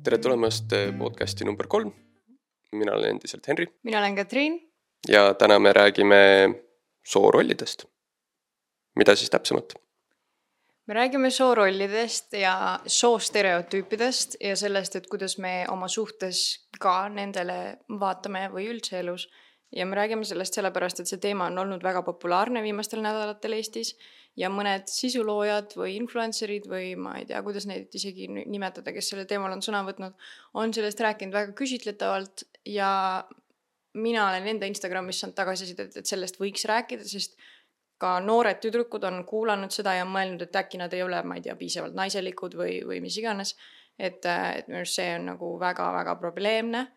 Tere tulemast podcasti number 3. Mina olen endiselt Henri. Mina olen Katriin. Ja täna me räägime soorollidest. Mida siis täpsemalt? Me räägime soorollidest ja soostereotüüpidest ja sellest, et kuidas me oma suhtes ka nendele vaatame või üldse elus. Ja me räägime sellest sellepärast, et see teema on olnud väga populaarne viimastel nädalatel Eestis ja mõned sisuloojad või influencerid või ma ei tea, kuidas neid isegi nimetada, kes selle teemal on sõna võtnud, on sellest rääkinud väga küsitletavalt ja mina olen enda Instagramis saanud tagasisidet, et sellest võiks rääkida, sest ka noored tüdrukud on kuulanud seda ja mõelnud, et äkki nad ei ole, ma ei tea, piisavalt naiselikud või mis iganes, et minu arust see on nagu väga-väga probleemne.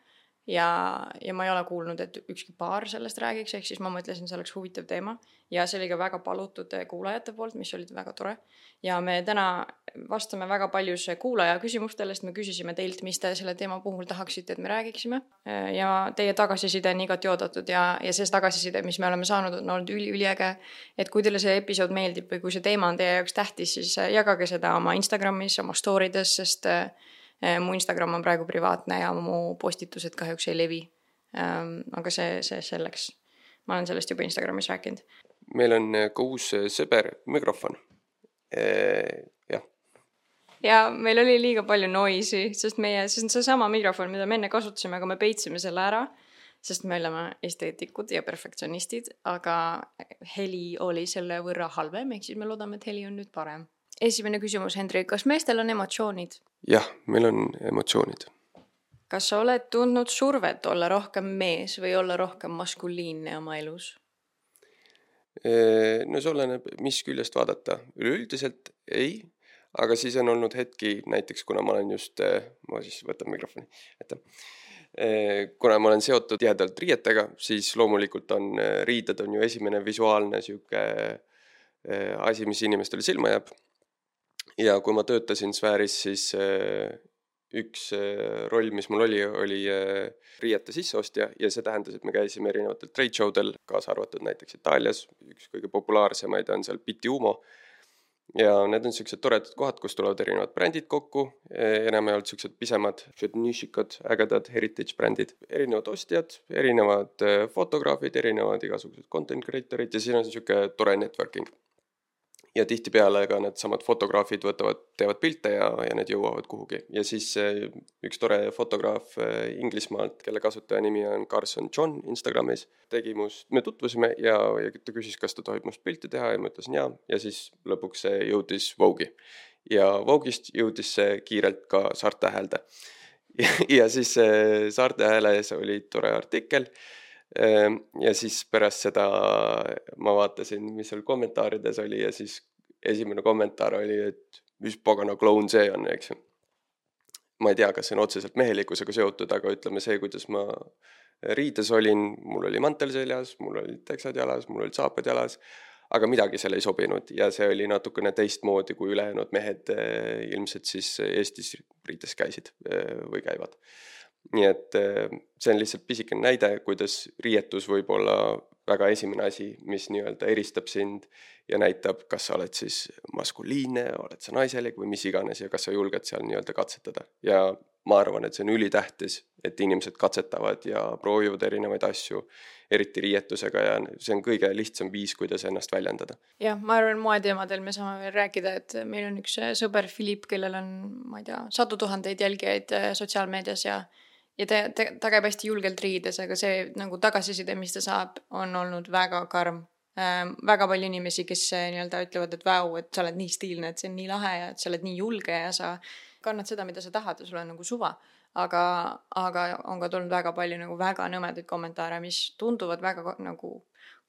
Ja ma ei ole kuulnud, et ükski paar sellest räägiks, ehk siis ma mõtlesin, see oleks huvitav teema ja see oli ka väga palutud kuulajate poolt, mis olid väga tore. Ja me täna vastame väga paljus kuulaja küsimustele, sest me küsisime teilt, mis te selle teema puhul tahaksite, et me räägiksime. Ja teie tagasiside on igati oodatud ja see tagasiside, mis me oleme saanud, on olnud üliäge. Et kui teile see episood meeldib või kui see teema on teie jaoks tähtis, siis jagage seda oma Instagramis, oma storydes, sest mu Instagram on praegu privaatne ja mu postitused kahjuks ei levi. Aga see selleks. Ma olen sellest juba Instagramis rääkinud. Meil on ka uus sõber mikrofon. Jah. Ja meil oli liiga palju noisi, sest see on see sama mikrofon, mida me enne kasutasime, aga me peitsime selle ära, sest me oleme esteetikud ja perfektsionistid, aga heli oli selle võrra halvem, ehk siis me loodame, et heli on nüüd parem. Esimene küsimus, Hendrik, kas meestel on emotsioonid? Jah, meil on emotsioonid. Kas sa oled tundnud survet olla rohkem mees või olla rohkem maskuliinne oma elus? No see oleneb, mis küljest vaadata. Üleüldiselt ei, aga siis on olnud hetki, näiteks kuna ma olen just, ma siis võtan mikrofoni, kuna ma olen seotud tihedalt riietega, siis loomulikult riided on ju esimene visuaalne siuke asi, mis inimestele silma jääb. Ja kui ma töötasin sfääris, siis üks roll, mis mul oli riiete sisseostja ja see tähendas, et me käisime erinevatel trade showdel, kaasa arvatud näiteks Itaalias, üks kõige populaarsemaid on seal Pitti Umo ja need on sellised toredad kohad, kus tulevad erinevad brändid kokku, enam ei olnud sellised pisemad, nišikad, ägedad heritage brändid, erinevad ostjad, erinevad fotograafid, erinevad igasugused content creatorid ja siin on selline tore networking. Ja tihtipeale ka need samad fotograafid teevad pilte ja need jõuavad kuhugi. Ja siis üks tore fotograaf Inglismaalt, kelle kasutaja nimi on Carson John Instagramis, me tutvusime ja ta küsis, kas ta tohib must pilti teha ja ma ütlesin jaa. Ja siis lõpuks see jõudis Vogue'i. Ja Vogue'ist jõudis see kiirelt ka Saarte Häälde. Ja siis Saarte Hääles oli tore artikkel. Ja siis pärast seda ma vaatasin, mis seal kommentaarides oli ja siis esimene kommentaar oli, et mis pagana kloun see on, eks. Ma ei tea, kas see on otseselt mehelikkusega seotud, aga ütleme see, kuidas ma riides olin, mul oli mantel seljas, mul olid teksad jalas, mul olid saapad jalas, aga midagi seal ei sobinud ja see oli natukene teistmoodi, kui ülejäänud mehed ilmselt siis Eestis riides käisid või käivad. Nii et see on lihtsalt pisikene näide, kuidas riietus võib olla väga esimene asi, mis nii-öelda eristab sind ja näitab, kas sa oled siis maskuliinne, oled sa naiselik või mis iganes ja kas sa julged seal nii-öelda katsetada. Ja ma arvan, et see on ülitähtis, et inimesed katsetavad ja proovivad erinevaid asju, eriti riietusega ja see on kõige lihtsam viis, kuidas ennast väljendada. Jah, ma arvan, moeteemadel me saame veel rääkida, et meil on üks sõber Philipp, kellel on, ma ei tea, 100 000 jälgijaid sotsiaalmeedias ja ta käib hästi julgelt riides, aga see nagu tagasiside, mis ta saab, on olnud väga karm. Väga palju inimesi, kes nii-öelda ütlevad, et vau, et sa oled nii stiilne, et see on nii lahe ja et sa oled nii julge ja sa kannad seda, mida sa tahad ja sul on nagu suva. Aga on ka tulnud väga palju nagu väga nõmedaid kommentaare, mis tunduvad väga nagu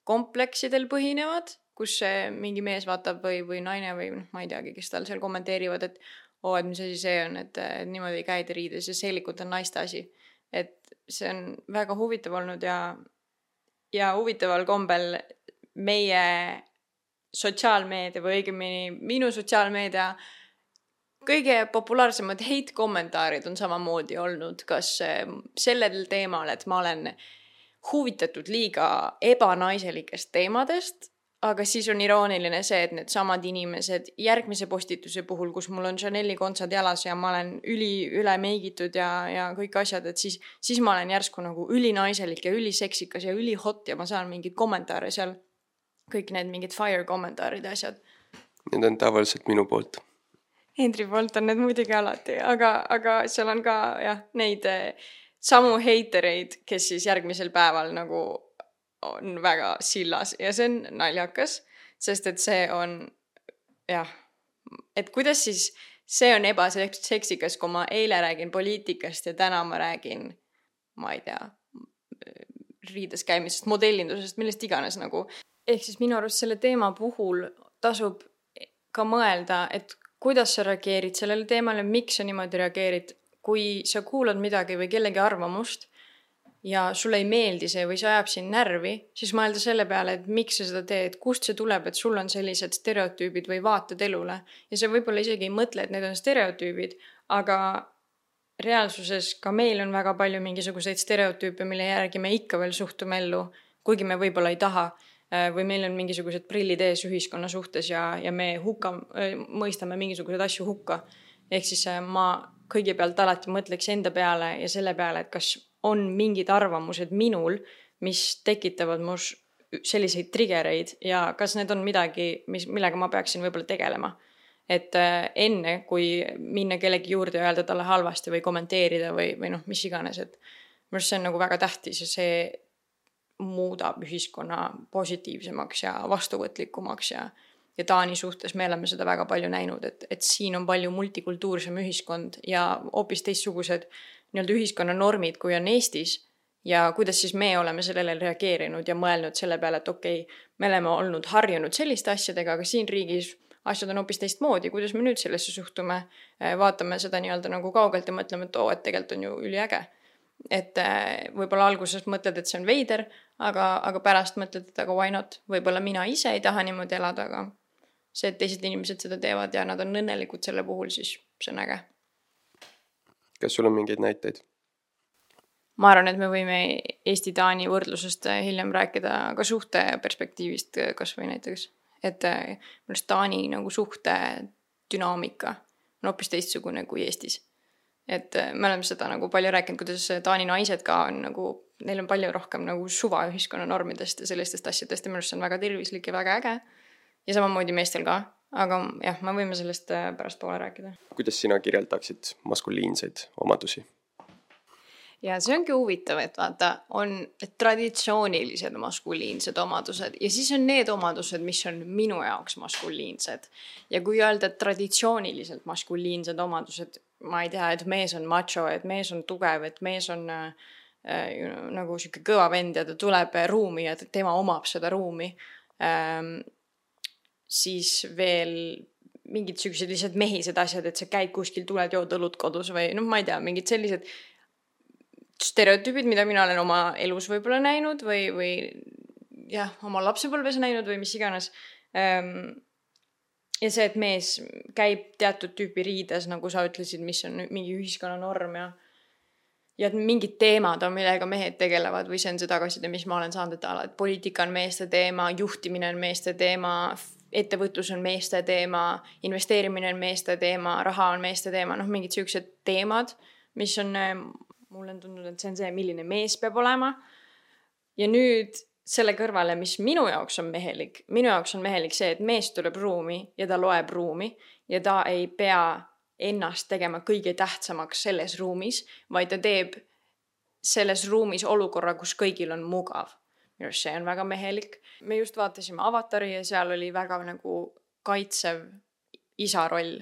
kompleksidel põhinevad, kus mingi mees vaatab või naine või ma ei teagi, kes tal seal kommenteerivad, et et mis asi see on, et niimoodi käid riides ja seelikult on naiste asi. Et see on väga huvitav olnud ja huvitaval kombel meie sotsiaalmeedia või õigemini minu sotsiaalmeedia kõige populaarsemad hate-kommentaarid on samamoodi olnud, kas sellel teemal, et ma olen huvitatud liiga ebanaiselikest teemadest aga siis on irooniline see, et need samad inimesed järgmise postituse puhul, kus mul on Chanel'i kontsad jalas ja ma olen üle meigitud ja kõik asjad, et siis ma olen järsku nagu ülinaiselik ja üliseksikas ja ülihot ja ma saan mingeid kommentaare seal, kõik need mingid fire kommentaarid ja asjad. Need on tavaliselt minu poolt. Hendri poolt on need muidugi alati, aga seal on ka jah, neid samu heitereid, kes siis järgmisel päeval nagu on väga sillas ja see on naljakas, sest et see on jah, et kuidas siis see on ebaseksikas, kui ma eile räägin poliitikast ja täna ma räägin, ma ei tea, riides käimisest, modellindusest, millest iganes nagu. Ehk siis minu arust selle teema puhul tasub ka mõelda, et kuidas sa reageerid sellele teemale, miks sa niimoodi reageerid, kui sa kuulad midagi või kellegi arvamust ja sulle ei meeldi see või see ajab sind närvi, siis mõelda selle peale, et miks sa seda teed, kust see tuleb, et sul on sellised stereotüübid või vaated elule. Ja sa võib-olla isegi ei mõtle, et need on stereotüübid, aga reaalsuses ka meil on väga palju mingisuguseid stereotüüpe, mille järgi me ikka veel suhtume ellu, kuigi me võib-olla ei taha, või meil on mingisugused prillid ees ühiskonna suhtes ja me mõistame mingisuguseid asju hukka. Ehk siis ma kõigepealt alati mõtleks enda peale ja selle peale, et kas on mingid arvamused minul, mis tekitavad mus selliseid triggereid ja kas need on midagi, millega ma peaksin võib-olla tegelema. Et enne, kui minna kellegi juurde ja öelda talle halvasti või kommenteerida või noh, mis iganes, et minu arust see on nagu väga tähtis ja see muudab ühiskonna positiivsemaks ja vastuvõtlikumaks ja Taani suhtes me oleme seda väga palju näinud, et siin on palju multikultuursem ühiskond ja hoopis teistsugused nii-öelda ühiskonna normid, kui on Eestis ja kuidas siis me oleme sellele reageerinud ja mõelnud selle peale, et okei, me oleme olnud harjunud selliste asjadega, aga siin riigis asjad on hoopis teistmoodi, kuidas me nüüd sellesse suhtume, vaatame seda nii-öelda nagu kaugelt ja mõtleme, et et tegelikult on ju üliäge. Et võib-olla alguses mõtled, et see on veider, aga pärast mõtled, et aga why not? Võib-olla mina ise ei taha niimoodi elada, aga see, et teised inimesed seda teevad ja nad on õnnelikud selle puhul, siis see on äge. Kas sul on mingeid näiteid? Ma arvan, et me võime Eesti-Taani võrdlusest hiljem rääkida ka suhte perspektiivist kas või näiteks. Et mõnest Taani nagu suhte dünaamika on hoopis teistsugune kui Eestis. Et me oleme seda nagu palju rääkinud, kuidas Taani naised ka on nagu, neil on palju rohkem nagu suva ühiskonna normidest ja sellistest asjadest ja minu arust see on väga tervislik ja väga äge. Ja samamoodi meestel ka, aga jah, me võime sellest pärast poole rääkida. Kuidas sina kirjeldaksid maskuliinseid omadusi? Ja see ongi huvitav, et vaata, on traditsioonilised maskuliinsed omadused ja siis on need omadused, mis on minu jaoks maskuliinsed. Ja kui öelda traditsiooniliselt maskuliinsed omadused, ma ei tea, et mees on macho, et mees on tugev, et mees on nagu siuke kõva vend ja ta tuleb ruumi ja tema omab seda ruumi, siis veel mingid sellised lihtsalt mehised asjad, et sa käid kuskil, tuled jood õlut kodus või ma ei tea, mingid sellised stereotüübid, mida mina olen oma elus võib-olla näinud või jah, oma lapsepõlves näinud või mis iganes. Ja see, et mees käib teatud tüüpi riides, nagu sa ütlesid, mis on mingi ühiskonna norm ja mingid teemad on, millega mehed tegelevad või see on see tagasiside, mis ma olen saanud, et poliitika on meeste teema, juhtimine on meeste teema, ettevõtlus on meeste teema, investeerimine on meeste teema, raha on meeste teema, mingid sellised teemad, mis on, mulle on tundnud, et see on see, milline mees peab olema. Ja nüüd selle kõrvale, mis minu jaoks on mehelik see, et mees tuleb ruumi ja ta loeb ruumi ja ta ei pea ennast tegema kõige tähtsamaks selles ruumis, vaid ta teeb selles ruumis olukorra, kus kõigil on mugav. Minu arust see on väga mehelik. Me just vaatasime Avatari ja seal oli väga nagu kaitsev isa roll.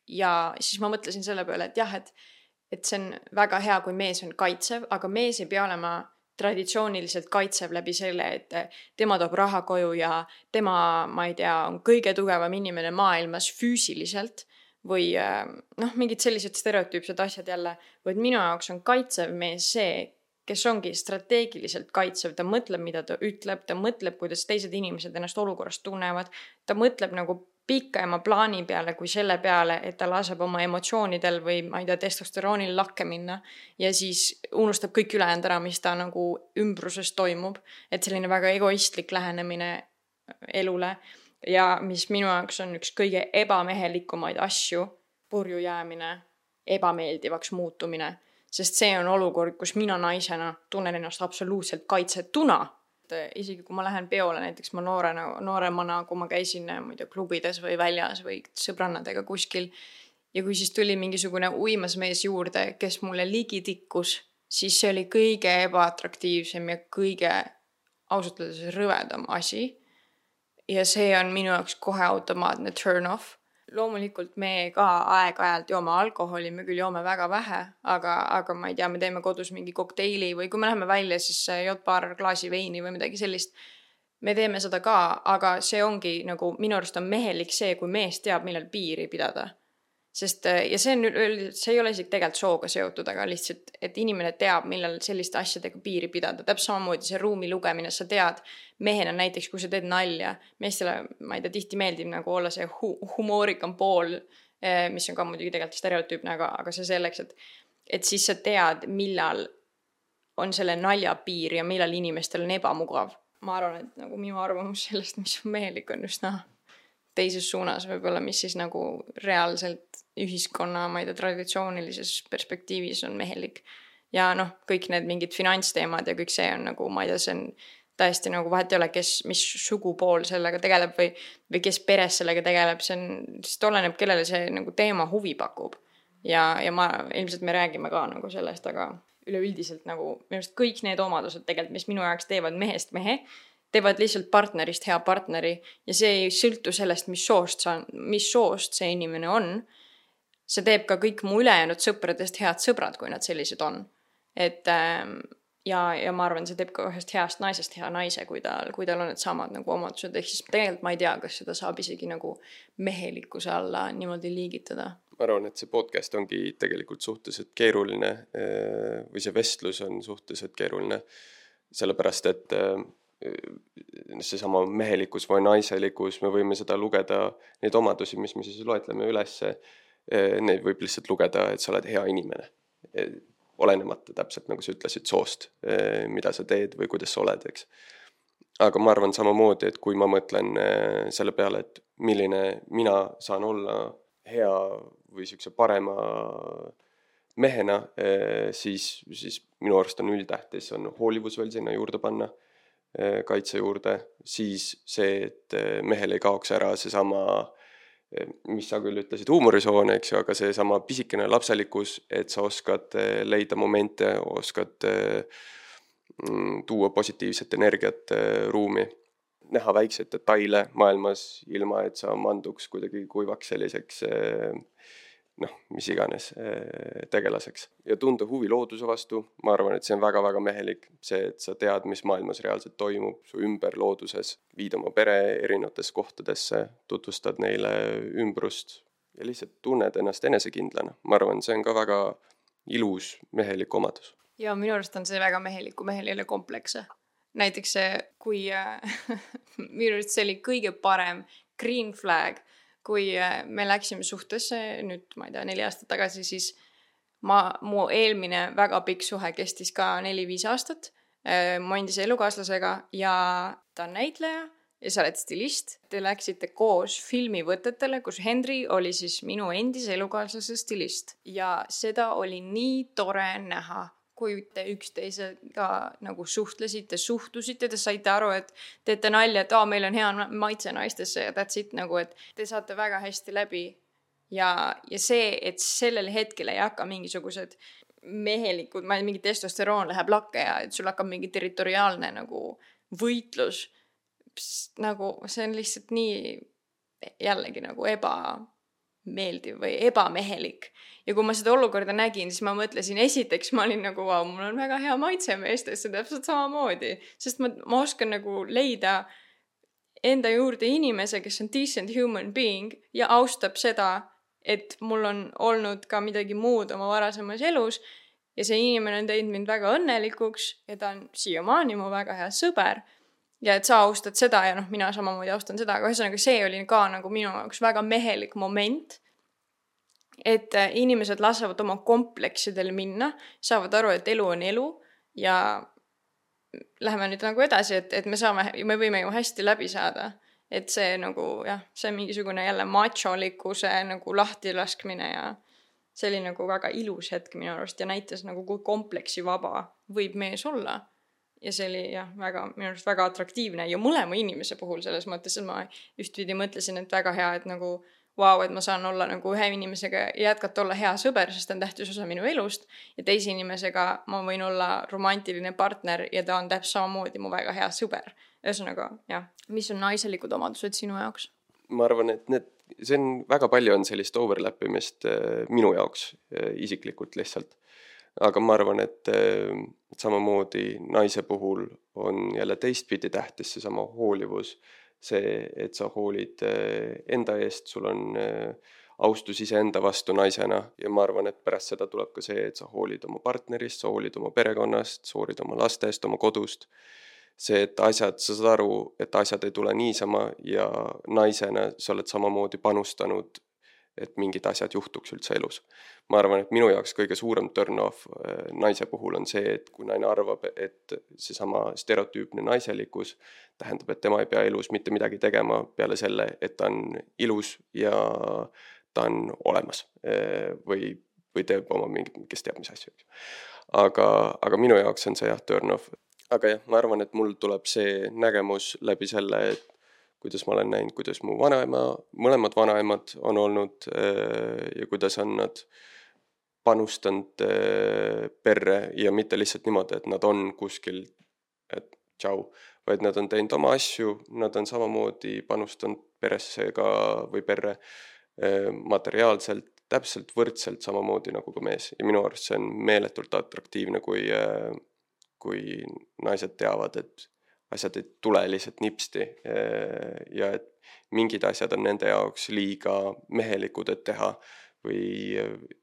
Ja siis ma mõtlesin selle peale, et jah, et see on väga hea, kui mees on kaitsev, aga mees ei pea olema traditsiooniliselt kaitsev läbi selle, et tema toob raha koju ja tema, ma ei tea, on kõige tugevam inimene maailmas füüsiliselt või mingid sellised stereotüüpsed asjad jälle, vaid minu jaoks on kaitsev mees see, kes ongi strateegiliselt kaitsev, ta mõtleb, mida ta ütleb, ta mõtleb, kuidas teised inimesed ennast olukorrast tunnevad, ta mõtleb nagu pikema plaani peale kui selle peale, et ta laseb oma emotsioonidel või ma ei tea, testosteroonil lakke minna ja siis unustab kõik ülejäänud ära, mis ta nagu ümbruses toimub, et selline väga egoistlik lähenemine elule ja mis minu jaoks on üks kõige ebamehelikumaid asju, purju jäämine, ebameeldivaks muutumine, sest see on olukord, kus mina naisena tunnen ennast absoluutselt kaitsetuna. Isegi kui ma lähen peole, näiteks ma nooremana, kui ma käisin klubides või väljas või sõbrannadega kuskil ja kui siis tuli mingisugune uimasmees juurde, kes mulle ligi tikkus, siis see oli kõige ebaatraktiivsem ja kõige ausalt öeldes rõvedam asi. Ja see on minu jaoks kohe automaatne turn off. Loomulikult me ka aeg-ajalt joome alkoholi, me küll joome väga vähe, aga ma ei tea, me teeme kodus mingi kokteili või kui me läheme välja, siis jood paar klaasi veini või midagi sellist. Me teeme seda ka, aga see ongi nagu minu arust on mehelik see, kui mees teab, millal piiri pidada. Sest, ja see ei ole isegi tegelikult sooga seotud, aga lihtsalt, et inimene teab, millal selliste asjadega piiri pidada. Täpselt samamoodi see ruumi lugemine, sa tead mehena näiteks, kui sa teed nalja. Meestele, ma ei tea, tihti meeldib nagu olla see humoorikam pool, mis on ka muidugi tegelikult stereotüüpne, aga see selleks, et siis sa tead, millal on selle nalja piir ja millal inimestel on ebamugav. Ma arvan, et nagu minu arvamus sellest, mis on mehelik, on just teises suunas võib-olla, mis siis nagu reaalselt ühiskonna, ma ei tea, traditsioonilises perspektiivis on mehelik. Ja kõik need mingid finantsteemad ja kõik see on nagu, ma ei tea, see on täiesti nagu vahet ei ole, mis sugupool sellega tegeleb või kes peres sellega tegeleb, see oleneb, kellele see nagu teema huvi pakub. Ja ilmselt me räägime ka nagu sellest, aga üleüldiselt nagu minu arust kõik need omadused tegelikult, mis minu jaoks teevad mehest mehe, teevad lihtsalt partnerist hea partneri ja see ei sõltu sellest, mis soost see inimene on. See teeb ka kõik mu ülejäänud sõpradest head sõbrad, kui nad sellised on. Ja ma arvan, see teeb ka ühest heast naisest hea naise, kui tal on need samad nagu omadused. Ehk siis tegelikult ma ei tea, kas seda saab isegi nagu mehelikkuse alla niimoodi liigitada. Ma arvan, et see podcast ongi tegelikult suhteliselt keeruline või see vestlus on suhteliselt keeruline, sellepärast, et see sama mehelikkus või naiselikkus, me võime seda lugeda, neid omadusi, mis me siis loetleme ülesse, neid võib lihtsalt lugeda, et sa oled hea inimene. Olenemata täpselt, nagu sa ütlesid, soost, mida sa teed või kuidas sa oled, eks. Aga ma arvan samamoodi, et kui ma mõtlen selle peale, et milline mina saan olla hea või siukse parema mehena, siis minu arust on üldtähtis, on hoolivus veel sinna juurde panna, kaitse juurde, siis see, et mehel ei kaoks ära see sama, mis sa küll ütlesid, huumorisoon, eks ju, aga see sama pisikene lapselikkus, et sa oskad leida momente, oskad tuua positiivset energiat ruumi, näha väikseid detaile maailmas, ilma et sa manduks kuidagi kuivaks selliseks mis iganes tegelaseks. Ja tunda huvi looduse vastu, ma arvan, et see on väga-väga mehelik, see, et sa tead, mis maailmas reaalselt toimub, su ümber looduses, viid oma pere erinevates kohtadesse, tutvustad neile ümbrust ja lihtsalt tunned ennast enesekindlana. Ma arvan, see on ka väga ilus mehelik omadus. Ja minu arust on see väga mehelik, kui mehel ei ole komplekse. Näiteks see, kui minu arust see oli kõige parem green flag, kui me läksime suhtesse, nüüd ma ei tea, 4 aastat tagasi, siis mu eelmine väga pikk suhe kestis ka 4-5 aastat mu endise elukaaslasega ja ta on näitleja ja sa oled stilist. Te läksite koos filmivõtetele, kus Henry oli siis minu endise elukaaslase stilist ja seda oli nii tore näha, kui te üksteisega nagu suhtlesite, suhtusite, te saite aru, et teete nalja, et meil on hea maitse naistesse ja that's it, nagu, et te saate väga hästi läbi. Ja see, et sellel hetkel ei hakka mingisugused mehelikud, mingi testosteroon läheb lakke ja et sul hakkab mingi territoriaalne nagu võitlus, nagu see on lihtsalt nii jällegi nagu ebameeldiv või ebamehelik. Ja kui ma seda olukorda nägin, siis ma mõtlesin, esiteks ma olin nagu, mul on väga hea maitse meestesse, täpselt samamoodi. Sest ma oskan nagu leida enda juurde inimese, kes on decent human being ja austab seda, et mul on olnud ka midagi muud oma varasemas elus ja see inimene on teinud mind väga õnnelikuks ja ta on siiamaani mu väga hea sõber. Ja et sa austad seda ja mina samamoodi austan seda, aga ühesõnaga see oli ka nagu minu jaoks väga mehelik moment, et inimesed lasavad oma kompleksidel minna, saavad aru, et elu on elu ja läheme nüüd nagu edasi, et me võime ju hästi läbi saada. Et see nagu jah, see mingisugune jälle macholikkuse nagu lahtilaskmine ja see oli nagu väga ilus hetk minu arust ja näitas nagu kui kompleksi vaba võib mees olla. Ja see oli jah, minu arust väga atraktiivne ja mõlema inimese puhul selles mõttes, et ma ühtpidi mõtlesin, et väga hea, et nagu et ma saan olla nagu ühe inimesega jätkata olla hea sõber, sest ta on tähtis osa minu elust ja teise inimesega ma võin olla romantiline partner ja ta on täpselt samamoodi mu väga hea sõber. Ühesõnaga, jah. Mis on naiselikud omadused sinu jaoks? Ma arvan, et see on väga palju on sellist overlappimist minu jaoks isiklikult lihtsalt. Aga ma arvan, et samamoodi naise puhul on jälle teistpidi tähtis seesama hoolivus. See, et sa hoolid enda eest, sul on austus iseenda vastu naisena ja ma arvan, et pärast seda tuleb ka see, et sa hoolid oma partnerist, sa hoolid oma perekonnast, sa hoolid oma lastest, oma kodust. See, et sa saad aru, et asjad ei tule niisama ja naisena sa oled samamoodi panustanud, et mingid asjad juhtuks üldse elus. Ma arvan, et minu jaoks kõige suurem turn off naise puhul on see, et kui naine arvab, et seesama stereotüüpne naiselikkus tähendab, et tema ei pea elus mitte midagi tegema peale selle, et ta on ilus ja ta on olemas või teeb oma mingit, kes teab mis asju. Aga minu jaoks on see jah, turn off. Aga jah, ma arvan, et mul tuleb see nägemus läbi selle, et kuidas ma olen näinud, kuidas mu mõlemad vanaemad on olnud ja kuidas on nad panustanud perre ja mitte lihtsalt niimoodi, et nad on kuskil, et tšau, vaid nad on teinud oma asju, nad on samamoodi panustanud peresse või perre materiaalselt, täpselt võrdselt samamoodi nagu ka mees. Ja minu arust see on meeletult atraktiivne, kui naised teavad, et asjad ei tule lihtsalt nipsti ja et mingid asjad on nende jaoks liiga mehelikud, et teha või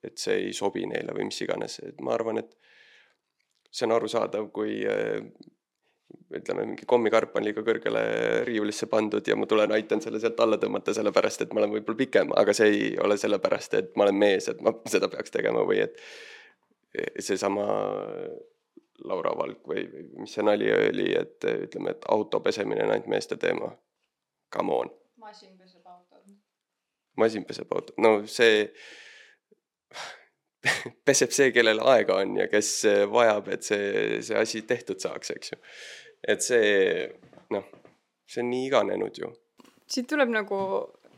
et see ei sobi neile või mis iganes. Et ma arvan, et see on arusaadav, kui ütleme, mingi kommikarp on liiga kõrgele riiulisse pandud ja ma aitan selle sealt alla tõmmata sellepärast, et ma olen võib-olla pikem, aga see ei ole sellepärast, et ma olen mees, et ma seda peaks tegema või et seesama Laura Valk või mis see nali oli, et ütleme, et auto pesemine on ainult meeste teema. Come on. Masin peseb autod. Masin peseb autod. No see peseb see, kellel aega on ja kes vajab, et see asi tehtud saaks, eks ju. Et see on nii iganenud ju. Siit tuleb nagu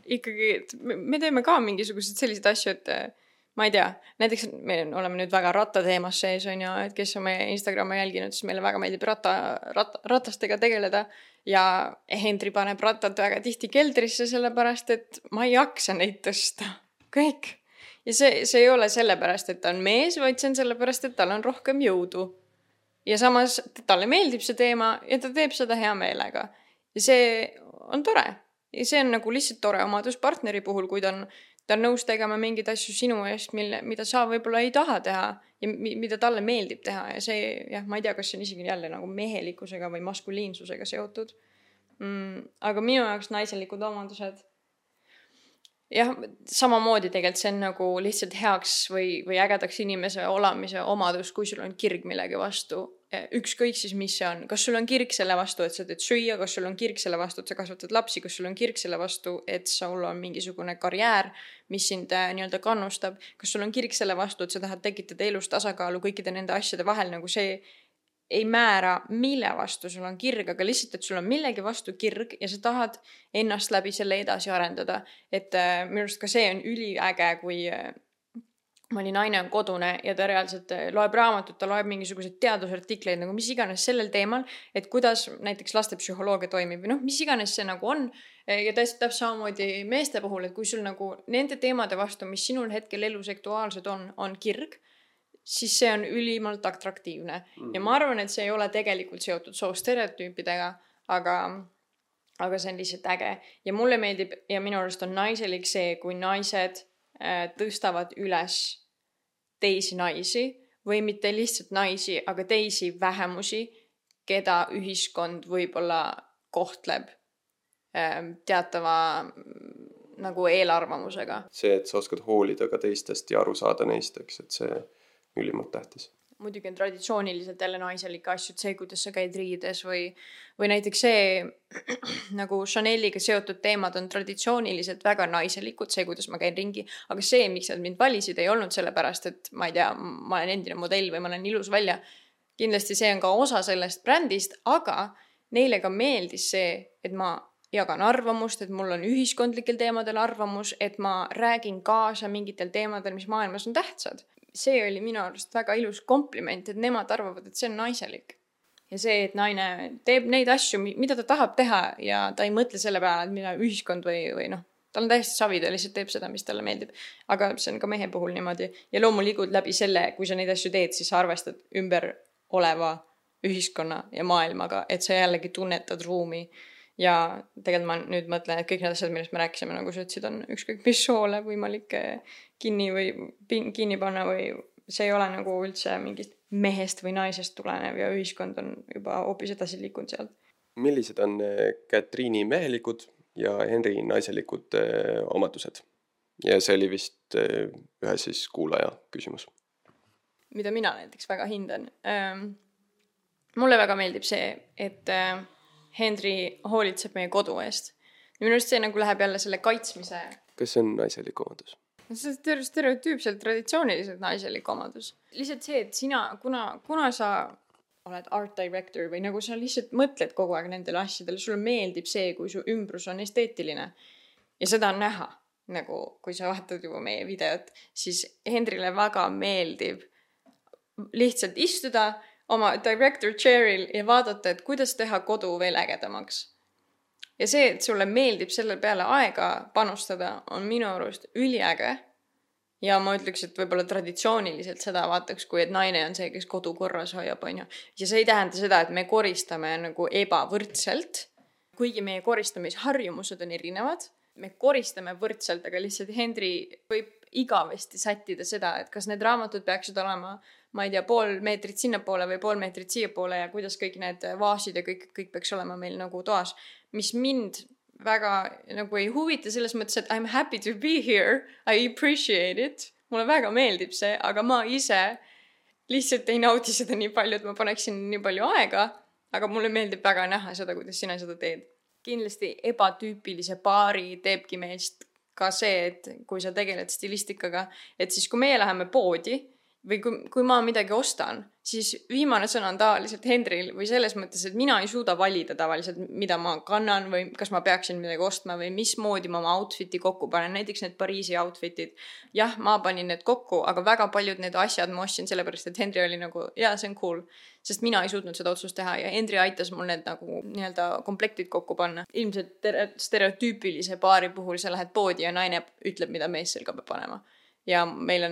ikkagi, me teeme ka mingisugused sellised asju, et ma ei tea, näiteks me oleme nüüd väga rattateemas sees, on ju, et kes on meie Instagrami jälginud, siis meile väga meeldib ratastega tegeleda ja Hendri paneb rattad väga tihti keldrisse sellepärast, et ma ei jaksa neid tõsta. Kõik. Ja see ei ole sellepärast, et ta on mees, vaid see on sellepärast, et tal on rohkem jõudu. Ja samas talle meeldib see teema ja ta teeb seda hea meelega. Ja see on tore. Ja see on nagu lihtsalt tore omadus partneri puhul, kui ta on nõus tegema mingeid asju sinu eest, mida sa võib-olla ei taha teha ja mida talle meeldib teha. Ja see, ma ei tea, kas see on isegi jälle nagu mehelikkusega või maskuliinsusega seotud. Aga minu jaoks naiselikud omadused. Jah, samamoodi tegelikult see on nagu lihtsalt heaks või ägedaks inimese olamise omadus, kui sul on kirg millegi vastu. Ükskõik siis, mis see on. Kas sul on kirg selle vastu, et sa teed süüa, kas sul on kirg selle vastu, et sa kasvatad lapsi, kas sul on kirg selle vastu, et sul on mingisugune karjäär, mis sind nii-öelda kannustab, kas sul on kirg selle vastu, et sa tahad tekitada elus tasakaalu kõikide nende asjade vahel, nagu see ei määra, mille vastu sul on kirg, aga lihtsalt, et sul on millegi vastu kirg ja sa tahad ennast läbi selle edasi arendada. Et minu arust ka see on üliäge, kui mõni naine on kodune ja ta reaalselt loeb raamatut, ta loeb mingisuguseid teadusartikleid, nagu mis iganes sellel teemal, et kuidas näiteks lastepsühholoogia toimib või mis iganes see nagu on. Ja täpselt samamoodi meeste puhul, et kui sul nagu nende teemade vastu, mis sinul hetkel elus aktuaalsed on kirg, siis see on ülimalt atraktiivne. Ja ma arvan, et see ei ole tegelikult seotud soostereotüüpidega, aga see on lihtsalt äge. Ja mulle meeldib ja minu arust on naiselik see, kui naised tõstavad üles teisi naisi või mitte lihtsalt naisi, aga teisi vähemusi, keda ühiskond võib-olla kohtleb teatava nagu eelarvamusega. See, et sa oskad hoolida ka teistest ja aru saada neist, eks, et see ülimalt tähtis. muidugi on traditsiooniliselt jälle naiselikke asju, see, kuidas sa käid riides või näiteks see nagu Chaneliga seotud teemad on traditsiooniliselt väga naiselikud, see, kuidas ma käin ringi, aga see, miks nad mind valisid, ei olnud sellepärast, et ma ei tea, ma olen endine modell või ma olen ilus välja. Kindlasti see on ka osa sellest brändist, aga neile ka meeldis see, et ma jagan arvamust, et mul on ühiskondlikel teemadel arvamus, et ma räägin kaasa mingitel teemadel, mis maailmas on tähtsad. See oli minu arust väga ilus kompliment, et nemad arvavad, et see on naiselik. Ja see, et naine teeb neid asju, mida ta tahab teha ja ta ei mõtle selle peale, et mida ühiskond või noh, tal on täiesti savi, ta lihtsalt teeb seda, mis talle meeldib. Aga see on ka mehe puhul niimoodi. Ja loomulikult läbi selle, kui sa neid asju teed, siis sa arvestad ümber oleva ühiskonna ja maailmaga, et sa jällegi tunnetad ruumi. Ja tegelikult ma nüüd mõtlen, et kõik need asjad, millest me rääkisime, nagu sa ütlesid, on ükskõik mis soole võimalik kinni panna või see ei ole nagu üldse mingist mehest või naisest tulenev ja ühiskond on juba hoopis edasi liikunud sealt. Millised on Katriini mehelikud ja Henri naiselikud omadused? Ja see oli vist ühe siis kuulaja küsimus. Mida mina näiteks väga hindan. Mulle väga meeldib see, et Henri hoolitseb meie kodu eest. Minu arust see nagu läheb jälle selle kaitsmise. Kas see on naiselik omadus? See on stereotüüpselt traditsiooniliselt naiselik omadus. Lihtsalt see, et sina, kuna sa oled art director või nagu sa lihtsalt mõtled kogu aeg nendele asjadele, sulle meeldib see, kui su ümbrus on esteetiline. Ja seda on näha, nagu kui sa vaatad juba meie videot, siis Henrile väga meeldib lihtsalt istuda oma director chairil ja vaadata, et kuidas teha kodu veel ägedamaks. Ja see, et sulle meeldib selle peale aega panustada, on minu arust üliäge. Ja ma ütleks, et võib-olla traditsiooniliselt seda vaataks, kui et naine on see, kes kodu korras hoiab, on ju. Ja see ei tähenda seda, et me koristame nagu ebavõrdselt, kuigi meie koristamisharjumused on erinevad. Me koristame võrdselt, aga lihtsalt Henri võib igavesti sättida seda, et kas need raamatud peaksid olema, ma ei tea, 0,5 meetrit sinnapoole või 0,5 meetrit siiapoole ja kuidas kõik need vaasid ja kõik peaks olema meil nagu toas, mis mind väga nagu ei huvita selles mõttes, et I'm happy to be here, I appreciate it, mulle väga meeldib see, aga ma ise lihtsalt ei naudi seda nii palju, et ma paneksin nii palju aega, aga mulle meeldib väga näha seda, kuidas sina seda teed. Kindlasti ebatüüpilise paari teebki meist ka see, et kui sa tegeled stilistikaga, et siis kui meie läheme poodi või kui ma midagi ostan, siis viimane sõna on tavaliselt Henril või selles mõttes, et mina ei suuda valida tavaliselt, mida ma kannan või kas ma peaksin midagi ostma või mismoodi ma oma outfiti kokku panen. Näiteks need Pariisi outfitid. Jah, ma panin need kokku, aga väga paljud need asjad ma ostsin sellepärast, et Henri oli nagu, jaa, see on cool. Sest mina ei suutnud seda otsust teha ja Henri aitas mul need nagu nii-öelda komplektid kokku panna. Ilmselt stereotüüpilise paari puhul sa lähed poodi ja naine ütleb, mida mees selga peab panema. Ja meil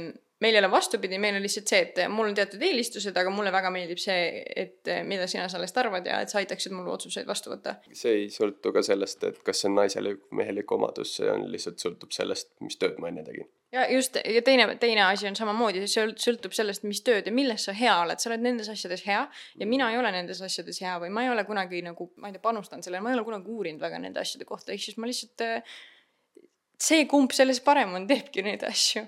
ei ole vastupidi, meil on lihtsalt see, et mul on teatud eelistused, aga mulle väga meeldib see, et mida sina sellest arvad ja et sa aitaksid mul otsuseid vastu võtta. See ei sõltu ka sellest, et kas see on naiselik või mehelik omadus, see on lihtsalt sõltub sellest, mis tööd ma enne tegin. Ja just, ja teine asi on samamoodi, see sõltub sellest, mis tööd ja milles sa hea oled. Sa oled nendes asjades hea ja mina ei ole nendes asjades hea või ma ei ole kunagi nagu, ma ei tea, panustan sellele, ma ei ole kunagi uurinud väga nende asjade kohta, ehk siis ma lihtsalt see kumb selles parem on, teebki neid asju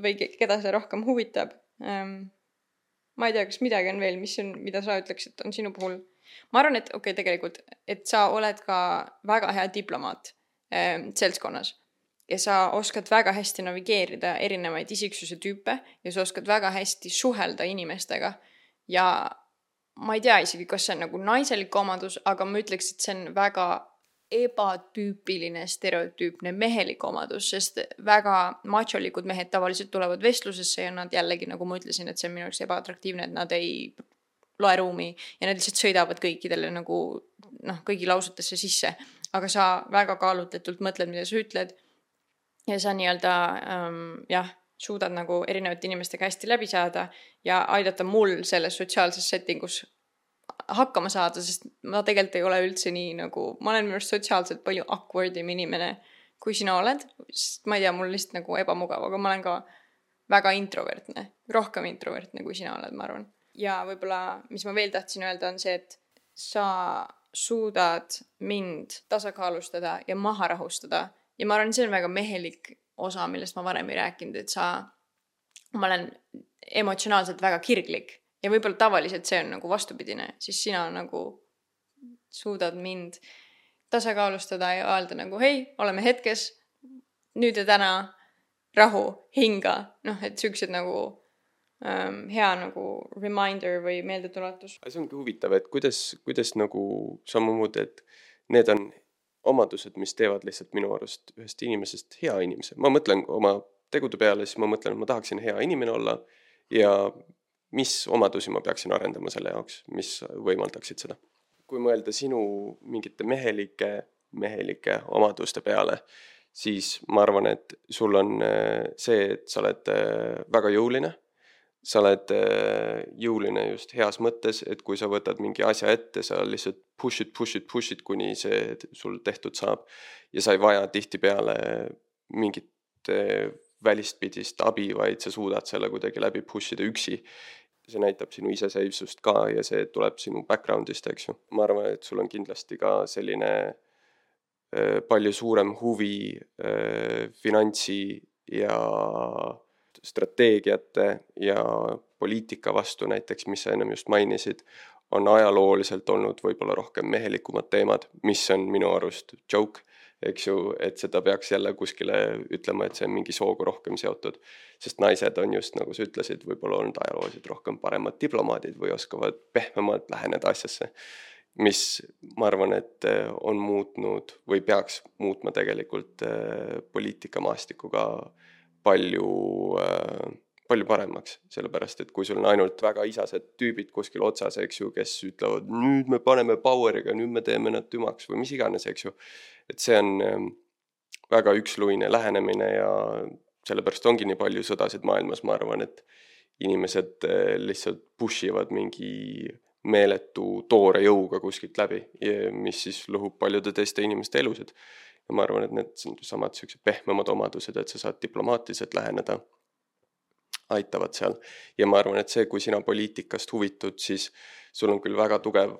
või keda see rohkem huvitab. Ma ei tea, kas midagi on veel, mida sa ütleksid, on sinu puhul. Ma arvan, et tegelikult, et sa oled ka väga hea diplomaat seltskonnas ja sa oskad väga hästi navigeerida erinevaid isiksuse tüüpe ja sa oskad väga hästi suhelda inimestega ja ma ei tea isegi, kas see on nagu naiselik omadus, aga ma ütleks, et see on väga ebatüüpiline, stereotüüpne mehelik omadus, sest väga macholikud mehed tavaliselt tulevad vestlusesse ja nad jällegi, nagu ma ütlesin, et see on minu jaoks ebaatraktiivne, et nad ei loe ruumi ja nad lihtsalt sõidavad kõikidele nagu, kõigi lausutesse sisse. Aga sa väga kaalutletult mõtled, mida sa ütled ja sa nii-öelda, suudad nagu erinevate inimestega hästi läbi saada ja aidata mul selles sotsiaalses settingus hakkama saada, sest ma tegelikult ei ole üldse nii nagu, ma olen minu sotsiaalselt palju awkwardim inimene, kui sina oled, sest ma ei tea, mul lihtsalt nagu ebamugav, aga ma olen ka väga introvertne, rohkem introvertne, kui sina oled, ma arvan. Ja võib-olla, mis ma veel tahtsin öelda, on see, et sa suudad mind tasakaalustada ja maha rahustada ja ma arvan, see on väga mehelik osa, millest ma varem ei rääkinud, et ma olen emotsionaalselt väga kirglik ja võib-olla tavaliselt see on nagu vastupidine, siis sina nagu suudad mind tasakaalustada ja öelda nagu hei, oleme hetkes, nüüd ja täna, rahu, hinga, et siuksed nagu hea nagu reminder või meeldetuletus. See ongi huvitav, et kuidas nagu samamoodi, et need on omadused, mis teevad lihtsalt minu arust ühest inimesest hea inimese. Ma mõtlen oma tegude peale, siis ma mõtlen, et ma tahaksin hea inimene olla ja mis omadusi ma peaksin arendama selle jaoks, mis võimaldaksid seda. Kui mõelda sinu mingite mehelike omaduste peale, siis ma arvan, et sul on see, et sa oled väga jõuline. Sa oled jõuline just heas mõttes, et kui sa võtad mingi asja ette, sa lihtsalt push it, kuni see sul tehtud saab. Ja sa ei vaja tihtipeale mingit välistpidist abi, vaid sa suudad selle kuidagi läbi pushida üksi. See näitab sinu iseseisvust ka ja see tuleb sinu backgroundist, eks ju. Ma arvan, et sul on kindlasti ka selline palju suurem huvi finantsi ja strateegiate ja poliitika vastu näiteks, mis sa ennem just mainisid, on ajalooliselt olnud võib-olla rohkem mehelikumad teemad, mis on minu arust joke, eks ju, et seda peaks jälle kuskile ütlema, et see on mingi sooga rohkem seotud, sest naised on just, nagu sa ütlesid, võib-olla olnud ajalooliselt rohkem paremad diplomaadid või oskavad pehmemalt läheneda asjasse, mis ma arvan, et on muutnud või peaks muutma tegelikult poliitikamaastiku ka palju paremaks, sellepärast, et kui sul on ainult väga isased tüübid kuskil otsas, eks ju, kes ütlevad, nüüd me paneme poweriga, nüüd me teeme nad tümaks või mis iganes, eks ju, et see on väga üksluine lähenemine ja sellepärast ongi nii palju sõdasid maailmas, ma arvan, et inimesed lihtsalt pushivad mingi meeletu toore jõuga kuskilt läbi, mis siis lõhub paljude teiste inimeste elusid. Ja ma arvan, et need on samad sellised pehmemad omadused, et sa saad diplomaatiliselt läheneda, aitavad seal. Ja ma arvan, et see, kui sina poliitikast huvitud, siis sul on küll väga tugev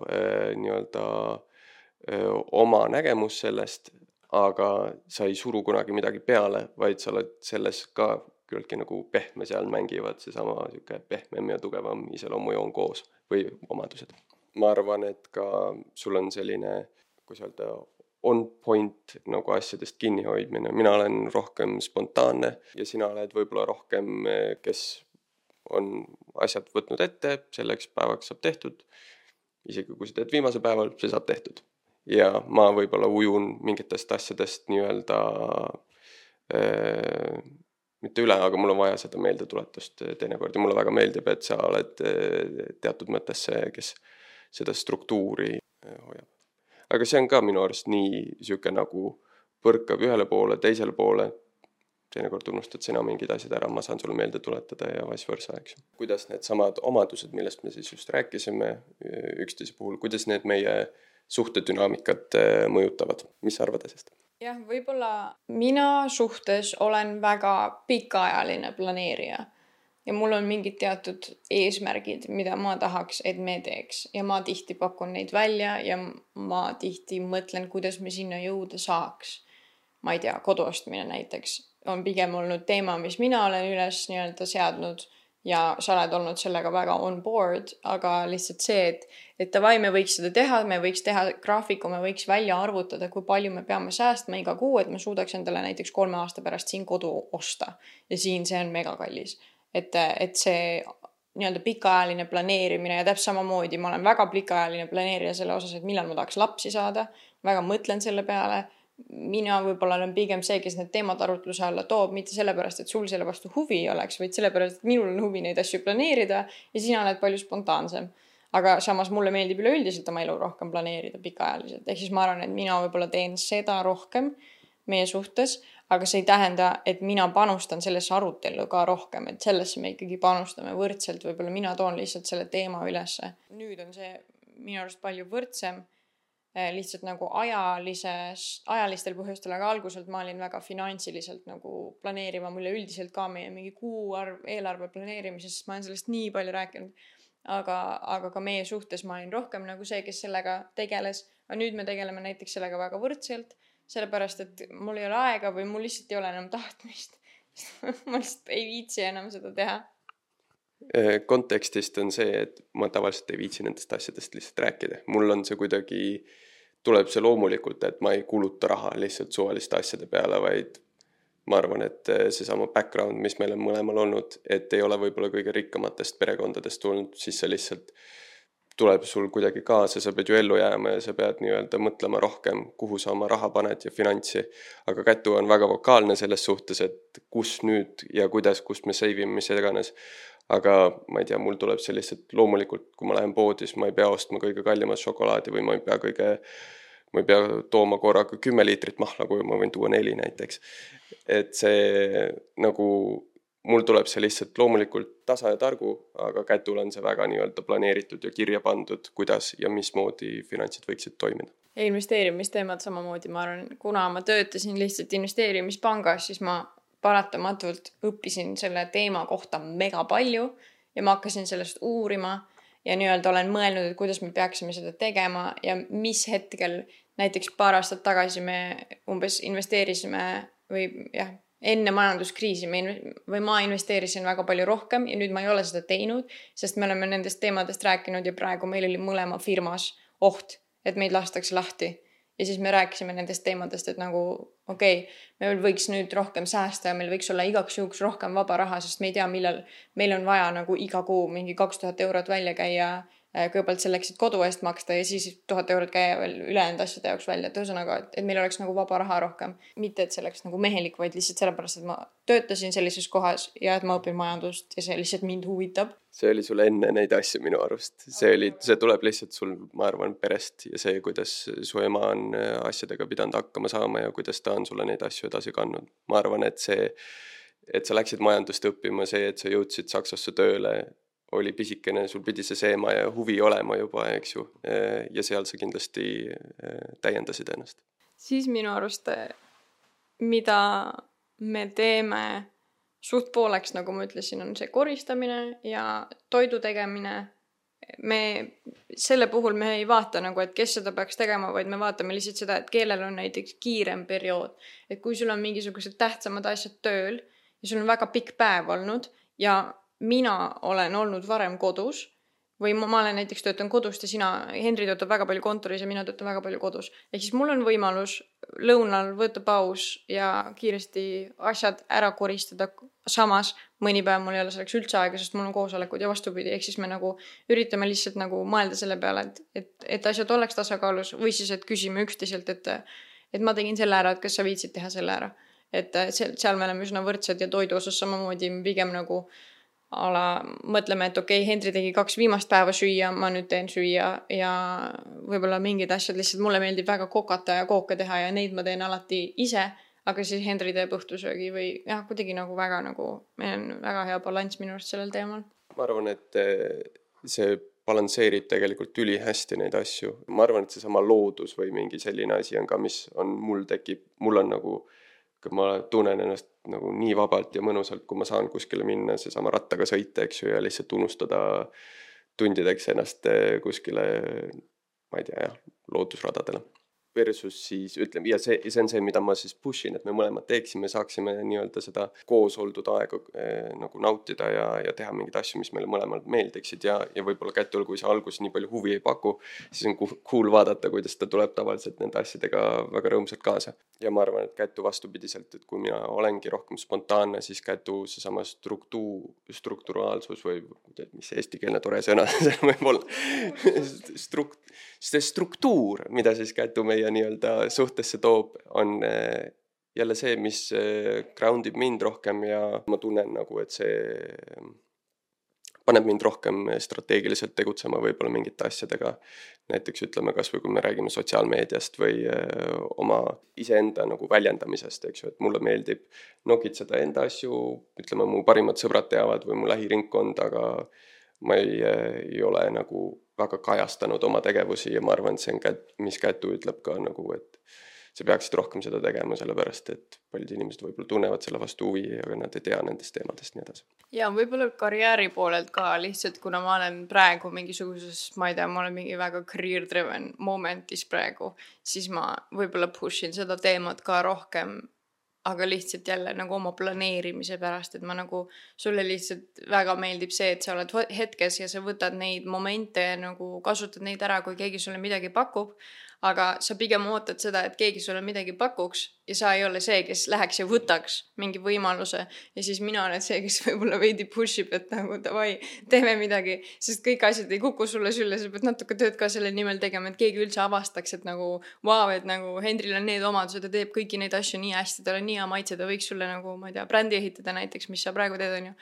oma nägemus sellest, aga sa ei suru kunagi midagi peale, vaid sa oled selles ka küllaltki nagu pehme seal mängivad seesama pehmem ja tugevam iseloomujoon koos või omadused. Ma arvan, et ka sul on selline, kui sa öelda, on point nagu asjadest kinni hoidmine. Mina olen rohkem spontaanne ja sina oled võib-olla rohkem, kes on asjad võtnud ette, selleks päevaks saab tehtud. Isegi kui sa teed viimase päeval, see saab tehtud. Ja ma võib-olla ujun mingitest asjadest nii-öelda mitte üle, aga mul on vaja seda meeldetuletust teinekord ja mulle väga meeldib, et sa oled teatud mõttes see, kes seda struktuuri hoiab. Aga see on ka minu arust nii siuke nagu põrkab ühele poole, teisele poole. Teinekord unustad sina mingid asjad ära, ma saan sulle meelde tuletada ja vice versa, eks. Kuidas need samad omadused, millest me siis just rääkisime üksteise puhul, kuidas need meie suhtedünaamikat mõjutavad? Mis sa arvad asjast? Jah, võib-olla mina suhtes olen väga pikaajaline planeerija. Ja mul on mingid teatud eesmärgid, mida ma tahaks, et me teeks. Ja ma tihti pakun neid välja ja ma tihti mõtlen, kuidas me sinna jõuda saaks. Ma ei tea, koduostmine näiteks on pigem olnud teema, mis mina olen üles nii-öelda seadnud ja sa oled olnud sellega väga on board, aga lihtsalt see, et davai, me võiks seda teha, me võiks teha graafiku, me võiks välja arvutada, kui palju me peame säästma iga kuu, et me suudaks endale näiteks 3 aasta pärast siin kodu osta. Ja siin see on mega kallis. Et see nii-öelda pikaajaline planeerimine ja täpselt samamoodi ma olen väga pikaajaline planeerija selle osas, et millal ma tahaks lapsi saada, väga mõtlen selle peale. Mina võib-olla olen pigem see, kes need teemad arutluse alla toob, mitte sellepärast, et sul selle vastu huvi ei oleks, vaid sellepärast, et minul on huvi neid asju planeerida ja sina oled palju spontaansem. Aga samas mulle meeldib üleüldiselt oma elu rohkem planeerida pikaajaliselt. Ehk siis ma arvan, et mina võib-olla teen seda rohkem meie suhtes, aga see ei tähenda, et mina panustan sellesse arutellu ka rohkem, et sellesse me ikkagi panustame võrdselt, võib-olla mina toon lihtsalt selle teema ülesse. Nüüd on see minu arust palju võrdsem, lihtsalt nagu ajalistel põhjustel, aga alguselt ma olin väga finantsiliselt nagu planeerima, mulle üldiselt ka meie mingi kuuarv eelarve planeerimisest, ma olen sellest nii palju rääkinud, aga ka meie suhtes ma olin rohkem nagu see, kes sellega tegeles, aga nüüd me tegeleme näiteks sellega väga võrdselt, sellepärast, et mul ei ole aega või mul lihtsalt ei ole enam tahtmist. Ma lihtsalt ei viitsi enam seda teha. Kontekstist on see, et ma tavaliselt ei viitsi nendest asjadest lihtsalt rääkida. Mul on see kuidagi, tuleb see loomulikult, et ma ei kuluta raha lihtsalt suvaliste asjade peale, vaid ma arvan, et seesama background, mis meil on mõlemal olnud, et ei ole võib-olla kõige rikkamatest perekondadest tulnud, siis see lihtsalt tuleb sul kuidagi kaasa, sa pead ju ellu jääma ja sa pead nii-öelda mõtlema rohkem, kuhu sa oma raha paned ja finantsi. Aga Kätu on väga vokaalne selles suhtes, et kus nüüd ja kuidas, kust me save ime, mis iganes. Aga ma ei tea, mul tuleb see lihtsalt loomulikult, kui ma lähen poodi, siis ma ei pea ostma kõige kallimat šokolaadi või ma ei pea tooma korraga 10 liitrit mahla, kui ma võin tuua 4 näiteks. Et see nagu, mul tuleb see lihtsalt loomulikult tasa ja targu, aga Kätul on see väga nii-öelda planeeritud ja kirja pandud, kuidas ja mismoodi finantsid võiksid toimida. Ja investeerimisteemad samamoodi, ma arvan, kuna ma töötasin lihtsalt investeerimispangas, siis ma paratamatult õppisin selle teema kohta mega palju ja ma hakkasin sellest uurima ja nii-öelda olen mõelnud, et kuidas me peaksime seda tegema ja mis hetkel, näiteks paar aastat tagasi me umbes investeerisime või jah, enne majanduskriisi ma investeerisin väga palju rohkem ja nüüd ma ei ole seda teinud, sest me oleme nendest teemadest rääkinud ja praegu meil oli mõlema firmas oht, et meid lastakse lahti. Ja siis me rääkisime nendest teemadest, et nagu okei, meil võiks nüüd rohkem säästa ja meil võiks olla igaks juhuks rohkem vaba raha, sest me ei tea, millal meil on vaja nagu iga kuu mingi 2000 eurot välja käia, kõigepealt selleks, et kodu eest maksta ja siis 1000 eurot käia veel ülejäänud asjade jaoks välja. Et ühesõnaga, et meil oleks nagu vaba raha rohkem. Mitte, et see oleks nagu mehelik, vaid lihtsalt sellepärast, et ma töötasin sellises kohas ja et ma õpin majandust ja see lihtsalt mind huvitab. See oli sul enne neid asju minu arust. See tuleb lihtsalt sul, ma arvan, perest ja see, kuidas su ema on asjadega pidanud hakkama saama ja kuidas ta on sulle neid asju edasi kandnud. Ma arvan, et see, et sa läksid majandust õppima, see, et sa jõudsid Saksasse tööle, oli pisikene, sul pidi see seema ja huvi olema juba, eks ju. Ja seal sa kindlasti täiendasid ennast. Siis minu arust, mida me teeme suht pooleks, nagu ma ütlesin, on see koristamine ja toidu tegemine. Selle puhul me ei vaata nagu, et kes seda peaks tegema, vaid me vaatame lihtsalt seda, et kellel on näiteks kiirem periood. Et kui sul on mingisugused tähtsamad asjad tööl ja sul on väga pikk päev olnud ja mina olen olnud varem kodus või ma olen näiteks töötan kodust ja Henri töötab väga palju kontoris ja mina töötan väga palju kodus. Ehk siis mul on võimalus lõunal võtta paus ja kiiresti asjad ära koristada. Samas mõni päev mul ei ole selleks üldse aega, sest mul on koosolekud ja vastupidi. Ehk siis me nagu üritame lihtsalt nagu mõelda selle peale, et asjad oleks tasakaalus või siis, et küsime üksteiselt, et ma tegin selle ära, et kas sa viitsid teha selle ära. Et seal me oleme üsna võrdsed ja toidu osas samamoodi pigem nagu mõtleme, et okei, Henri tegi 2 viimast päeva süüa, ma nüüd teen süüa ja võib-olla mingid asjad lihtsalt mulle meeldib väga kokata ja kooke teha ja neid ma teen alati ise, aga siis Henri teeb õhtusöögi või jah, kuidagi nagu väga nagu, meil on väga hea balanss minu arust sellel teemal. Ma arvan, et see balansseerib tegelikult ülihästi neid asju. Ma arvan, et seesama loodus või mingi selline asi on ka, mis on mul on nagu ma tunnen ennast nagu nii vabalt ja mõnusalt, kui ma saan kuskile minna, seesama rattaga sõita, eks ju, ja lihtsalt unustada tundideks ennast kuskile, ma ei tea, loodusradadele. Versus siis ütleme, ja see on see, mida ma siis pushin, et me mõlemad teeksime, saaksime nii-öelda seda koos oldud aega nagu nautida ja teha mingeid asju, mis meile mõlemad meeldiksid ja võib-olla Kätul, kui see algus nii palju huvi ei paku, siis on cool vaadata, kuidas ta tuleb tavaliselt nende asjadega väga rõõmsalt kaasa. Ja ma arvan, et Kätu vastupidiselt, et kui mina olengi rohkem spontaanne, siis Kätu seesama strukturaalsus või mis eestikeelne tore sõna see võib olla see struktuur, mida siis Kätu meie nii-öelda suhtesse toob, on jälle see, mis groundib mind rohkem ja ma tunnen nagu, et see paneb mind rohkem strateegiliselt tegutsema võib-olla mingite asjadega. Näiteks ütleme kas või kui me räägime sotsiaalmeediast või oma iseenda nagu väljendamisest, eks ju, et mulle meeldib nokitseda enda asju, ütleme mu parimad sõbrad teavad või mu lähiringkond, aga ma ei ole nagu väga kajastanud oma tegevusi ja ma arvan, et see on mis Kätu ütleb ka nagu, et sa peaksid rohkem seda tegema, sellepärast, et paljud inimesed võib-olla tunnevad selle vastu huvi, aga nad ei tea nendest teemadest nii edasi. Ja võib-olla karjääri poolelt ka lihtsalt, kuna ma olen praegu mingisuguses, ma ei tea, ma olen mingi väga career-driven momentis praegu, siis ma võib-olla pushin seda teemat ka rohkem aga lihtsalt jälle nagu oma planeerimise pärast, et ma nagu, sulle lihtsalt väga meeldib see, et sa oled hetkes ja sa võtad neid momente ja nagu kasutad neid ära, kui keegi sulle midagi pakub, aga sa pigem ootad seda, et keegi sulle midagi pakuks ja sa ei ole see, kes läheks ja võtaks mingi võimaluse ja siis mina olen see, kes võib-olla veidi push ib, et nagu davai, teeme midagi, sest kõik asjad ei kuku sulle sülle, sa pead natuke tööd ka selle nimel tegema, et keegi üldse avastaks, et nagu vau, et nagu Hendril on need omadused, ta teeb kõiki neid asju nii hästi, tal on nii hea maitse, ta võiks sulle nagu, ma ei tea, brändi ehitada näiteks, mis sa praegu teed, on ju,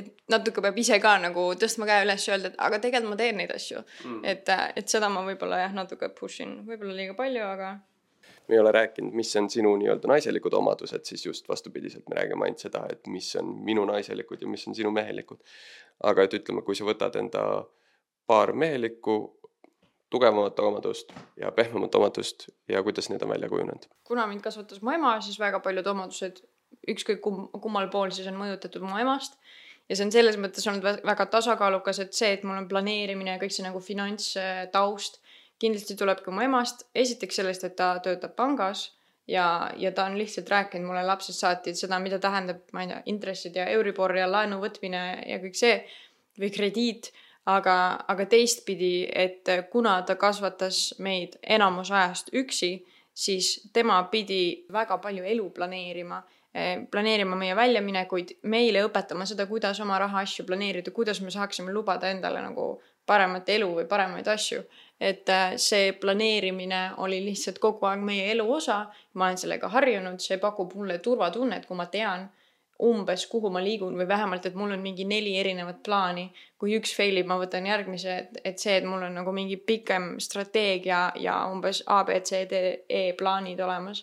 et natuke peab ise ka nagu tõstma käe üles ja öelda, et aga tegelikult ma teen neid asju. Et seda ma võib-olla jah, natuke pushin, võib-olla liiga palju, aga me ei ole rääkinud, mis on sinu nii-öelda naiselikud omadused, siis just vastupidiselt me räägime ainult seda, et mis on minu naiselikud ja mis on sinu mehelikud. Aga et ütleme, kui sa võtad enda paar mehelikku, tugevamat omadust ja pehmemat omadust ja kuidas need on välja kujunenud? Kuna mind kasvatas mu ema, siis väga paljud omadused, ükskõik kummal pool siis on mõjutatud mu emast. Ja see on selles mõttes olnud väga tasakaalukas, et see, et mul on planeerimine ja kõik see nagu finantstaust kindlasti tuleb ka mu emast. Esiteks sellest, et ta töötab pangas ja ta on lihtsalt rääkinud mulle lapsest saati seda, mida tähendab, ma ei tea, intressid ja Euribor ja laenu võtmine ja kõik see või krediit. Aga teistpidi, et kuna ta kasvatas meid enamus ajast üksi, siis tema pidi väga palju elu planeerima meie väljaminekuid, meile õpetama seda, kuidas oma raha asju planeerida, kuidas me saaksime lubada endale nagu paremat elu või paremaid asju. Et see planeerimine oli lihtsalt kogu aeg meie elu osa, ma olen sellega harjunud, see pakub mulle turvatunnet, kui ma tean umbes kuhu ma liigun või vähemalt, et mul on mingi 4 erinevat plaani. Kui üks failib, ma võtan järgmise, et see, et mul on nagu mingi pikem strateegia ja umbes A, B, C, D, E plaanid olemas.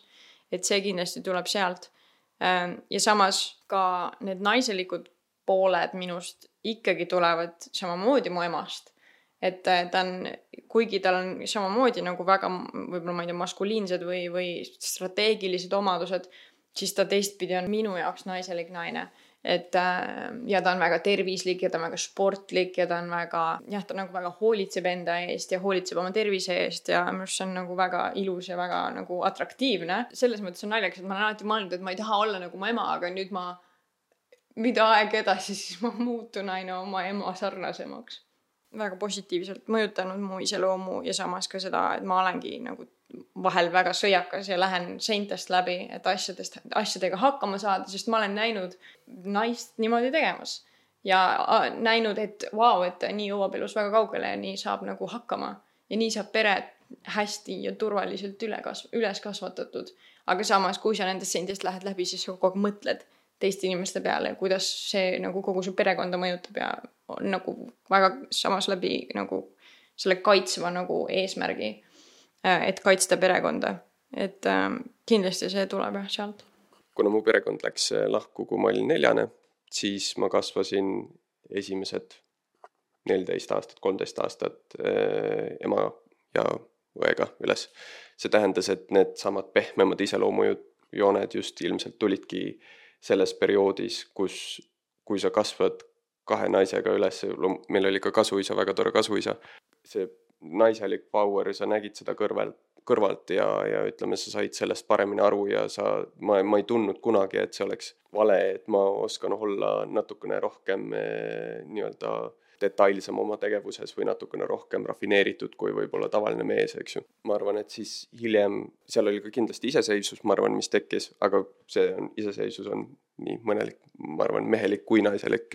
Et see kindlasti tuleb sealt. Ja samas ka need naiselikud pooled minust ikkagi tulevad samamoodi mu emast. Et ta on, kuigi tal on samamoodi nagu väga võib-olla ma ei tea, maskuliinsed või strateegilised omadused, siis ta teistpidi on minu jaoks naiselik naine. Et ja ta on väga tervislik ja ta on väga sportlik ja ta on väga, jah, ta nagu väga hoolitseb enda eest ja hoolitseb oma tervise eest ja minu arust see on nagu väga ilus ja väga nagu atraktiivne. Selles mõttes on naljakas, et ma olen alati mõelnud, et ma ei taha olla nagu mu ema, aga nüüd mida aeg edasi, siis ma muutun aina oma ema sarnasemaks. Väga positiivselt mõjutanud mu iseloomu ja samas ka seda, et ma olengi nagu vahel väga sõjakas ja lähen seintest läbi, et asjadega hakkama saada, sest ma olen näinud naist niimoodi tegemas ja näinud, et vau, et nii jõuab elus väga kaugele ja nii saab nagu hakkama ja nii saab pere hästi ja turvaliselt üles kasvatatud. Aga samas, kui sa nendest seintest lähed läbi, siis sa kogu aeg mõtled teiste inimeste peale, kuidas see nagu kogu su perekonda mõjutab ja on nagu väga samas läbi nagu selle kaitsva nagu eesmärgi, et kaitsta perekonda. Et kindlasti see tuleb jah sealt. Kuna mu perekond läks lahku, kui ma olin 4, siis ma kasvasin esimesed 14 aastat, 13 aastat ema ja õega üles. See tähendas, et need samad pehmemad iseloomujooned just ilmselt tulidki selles perioodis, kui sa kasvad 2 naisega üles, meil oli ka kasuisa, väga tore kasuisa. See naiselik power, sa nägid seda kõrvalt ja ütleme, sa said sellest paremini aru ja ma ei tundnud kunagi, et see oleks vale, et ma oskan olla natukene rohkem nii-öelda detailsem oma tegevuses või natukene rohkem rafineeritud kui võib-olla tavaline mees, eks ju. Ma arvan, et siis hiljem, seal oli ka kindlasti iseseisvus, ma arvan, mis tekkis, aga iseseisvus on nii mõnelik, ma arvan, mehelik kui naiselik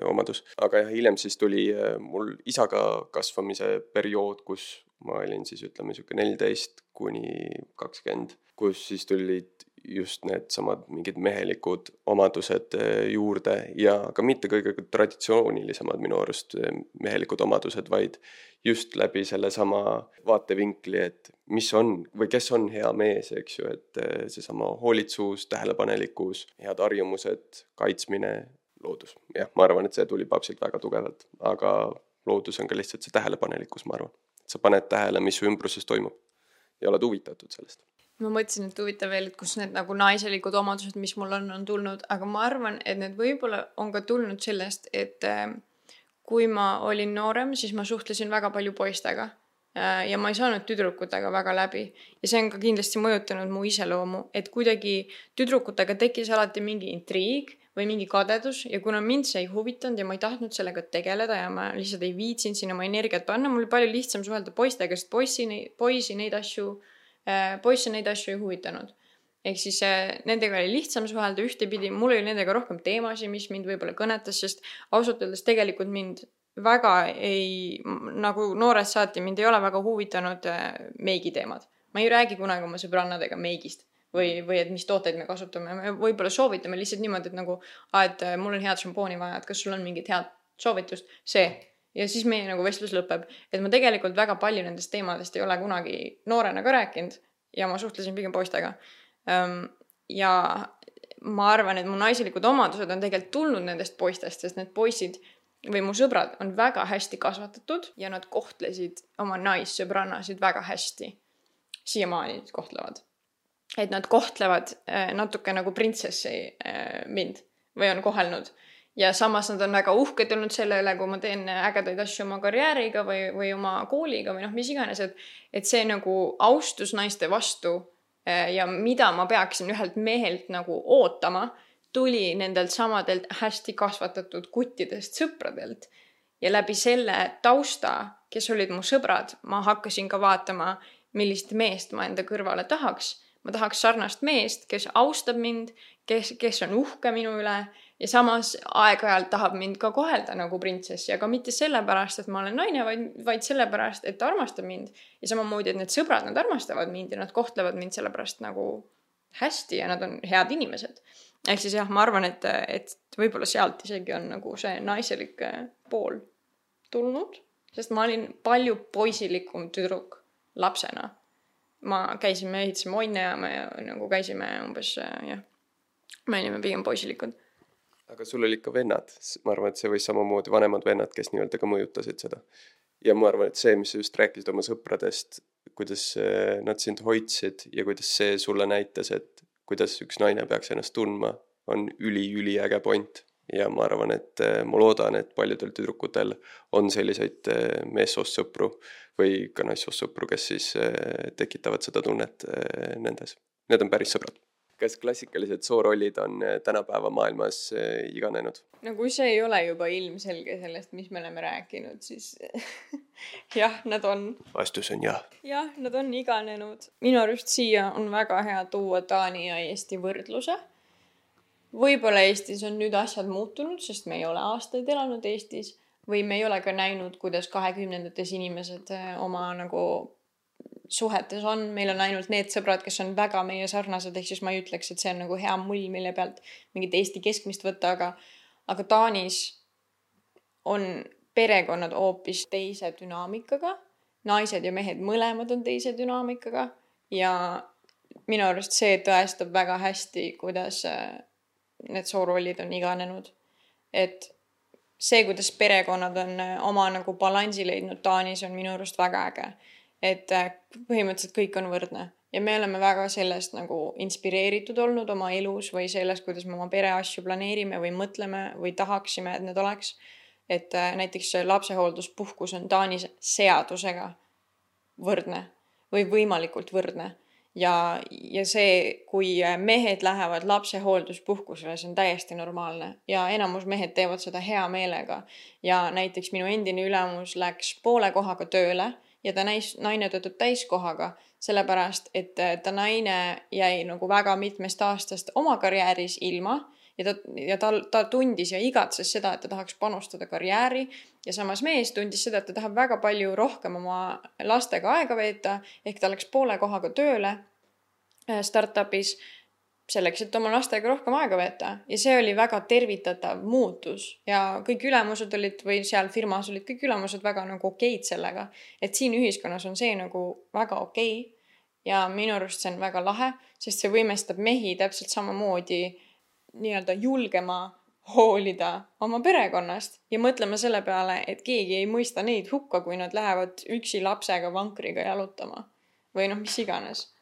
omadus. Aga jah, hiljem siis tuli mul isaga kasvamise periood, kus ma olin siis ütleme 14 kuni 20, kus siis tulid just need samad mingid mehelikud omadused juurde ja ka mitte kõige traditsioonilisemad minu arust mehelikud omadused, vaid just läbi selle sama vaatevinkli, et mis on või kes on hea mees, eks ju, et see sama hoolitsus, tähelepanelikkus, head harjumused, kaitsmine, loodus. Jah, ma arvan, et see tuli papsilt väga tugevalt, aga loodus on ka lihtsalt see tähelepanelikkus, ma arvan. Sa paned tähele, mis su ümbruses toimub ja oled huvitatud sellest. Ma mõtlesin, et huvitav veel, et kus need nagu naiselikud omadused, mis mul on tulnud, aga ma arvan, et need võib-olla on ka tulnud sellest, et kui ma olin noorem, siis ma suhtlesin väga palju poistega. ja ma ei saanud tüdrukutega väga läbi. Ja see on ka kindlasti mõjutanud mu iseloomu, et kuidagi tüdrukutega tekkis alati mingi intriig või mingi kadedus ja kuna mind see ei huvitanud ja ma ei tahtnud sellega tegeleda ja ma lihtsalt ei viitsinud sinna oma energiat panna, mul oli palju lihtsam suhelda poistega, sest poisse neid asju ei huvitanud. Ehk siis nendega oli lihtsam suhelda ühtepidi, mul oli nendega rohkem teemasid, mis mind võib-olla kõnetas, sest ausalt öeldes tegelikult mind väga ei, nagu noorest saati mind ei ole väga huvitanud meigiteemad. Ma ei räägi kunagi oma sõbrannadega meigist või et mis tooteid me kasutame. Me võib-olla soovitame lihtsalt niimoodi, et nagu, et mul on head šampooni vaja, et kas sul on mingit head soovitust, see. Ja siis meie nagu vestlus lõpeb. Et ma tegelikult väga palju nendest teemadest ei ole kunagi noorena ka rääkinud ja ma suhtlesin pigem poistega. Ja ma arvan, et mu naiselikud omadused on tegelikult tulnud nendest poistest, sest need poisid või mu sõbrad on väga hästi kasvatatud ja nad kohtlesid oma naissõbrannasid väga hästi. Siiamaani kohtlevad. Et nad kohtlevad natuke nagu printsessi mind või on kohelnud. Ja samas nad on väga uhked olnud selle üle, kui ma teen ägedaid asju oma karjääriga või oma kooliga või mis iganes. Et see nagu austus naiste vastu ja mida ma peaksin ühelt mehelt nagu ootama, tuli nendelt samadelt hästi kasvatatud kuttidest sõpradelt. Ja läbi selle tausta, kes olid mu sõbrad, ma hakkasin ka vaatama, millist meest ma enda kõrvale tahaks. Ma tahaks sarnast meest, kes austab mind, kes on uhke minu üle ja samas aeg-ajalt tahab mind ka kohelda nagu printsessi, aga mitte sellepärast, et ma olen naine, vaid sellepärast, et ta armastab mind. Ja samamoodi, et need sõbrad, nad armastavad mind ja nad kohtlevad mind sellepärast nagu hästi ja nad on head inimesed. Ehk siis jah, ma arvan, et võib-olla sealt isegi on nagu see naiselik pool tulnud, sest ma olin palju poisilikum tüdruk lapsena. Me ehitasime onne ja me nagu käisime umbes, me olime pigem poisilikud. Aga sul oli ikka vennad. Ma arvan, et see võis samamoodi vanemad vennad, kes nii-öelda ka mõjutasid seda. Ja ma arvan, et see, mis sa just rääkisid oma sõpradest, kuidas nad sind hoidsid ja kuidas see sulle näitas, et kuidas üks naine peaks ennast tundma, on üli äge point. Ja ma arvan, et ma loodan, et paljudel tüdrukutel on selliseid meessoost sõpru või ka naissoost sõpru, kes siis tekitavad seda tunnet nendes. Need on päris sõbrad. Kas klassikalised soorollid on tänapäeva maailmas iganenud? No kui see ei ole juba ilmselge sellest, mis me oleme rääkinud, siis jah, nad on. Vastus on jah. Jah, nad on iganenud. Minu arust siia on väga hea tuua Taani ja Eesti võrdluse. Võib-olla Eestis on nüüd asjad muutunud, sest me ei ole aastaid elanud Eestis või me ei ole ka näinud, kuidas 20-ndates inimesed oma nagu suhetes on. Meil on ainult need sõbrad, kes on väga meie sarnased, ehk siis ma ei ütleks, et see on nagu hea mull, mille pealt mingit Eesti keskmist võtta, aga Taanis on perekonnad hoopis teise dünaamikaga. Naised ja mehed mõlemad on teise dünaamikaga ja minu arust see tõestab väga hästi, kuidas need soorollid on iganenud. Et see, kuidas perekonnad on oma nagu balansi leidnud Taanis, on minu arust väga äge. Et põhimõtteliselt kõik on võrdne. Ja me oleme väga sellest nagu inspireeritud olnud oma elus või sellest, kuidas me oma pereasju planeerime või mõtleme või tahaksime, et need oleks. Et näiteks lapsehoolduspuhkus on Taanis seadusega võrdne või võimalikult võrdne. Ja see, kui mehed lähevad lapsehoolduspuhkusele, see on täiesti normaalne. Ja enamus mehed teevad seda hea meelega. Ja näiteks minu endine ülemus läks poole kohaga tööle ja ta naine töötab täiskohaga, sellepärast, et ta naine jäi nagu väga mitmest aastast oma karjääris ilma ja ta tundis ja igatses seda, et ta tahaks panustada karjääri ja samas mees tundis seda, et ta tahab väga palju rohkem oma lastega aega veeta, ehk ta läks poole kohaga tööle startupis selleks, et oma lastega rohkem aega veeta ja see oli väga tervitatav muutus ja kõik ülemused olid või seal firmas olid kõik ülemused väga nagu okeid sellega, et siin ühiskonnas on see nagu väga okei ja minu arust see on väga lahe, sest see võimestab mehi täpselt samamoodi nii-öelda julgema hoolida oma perekonnast ja mõtlema selle peale, et keegi ei mõista neid hukka, kui nad lähevad üksi lapsega vankriga jalutama või mis iganes.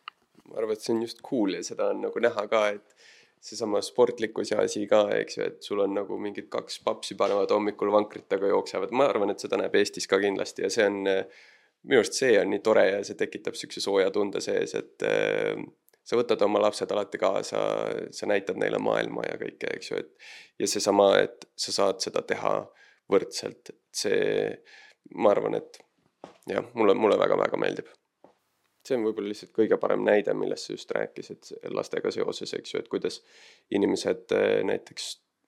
Ma arvan, et see on just cool ja seda on nagu näha ka, et seesama sportlikkus ja asi ka, eks ju, et sul on nagu mingid 2 papsi panevad hommikul vankritega jooksevad. Ma arvan, et seda näeb Eestis ka kindlasti ja see on minu arust see on nii tore ja see tekitab siukse sooja tunde sees, et sa võtad oma lapsed alati kaasa, sa näitad neile maailma ja kõike, eks ju, ja seesama, et sa saad seda teha võrdselt, see, ma arvan, et jah, mulle väga-väga meeldib. See on võib-olla lihtsalt kõige parem näide, millest sa just rääkisid lastega seoses, eks ju, et kuidas inimesed näiteks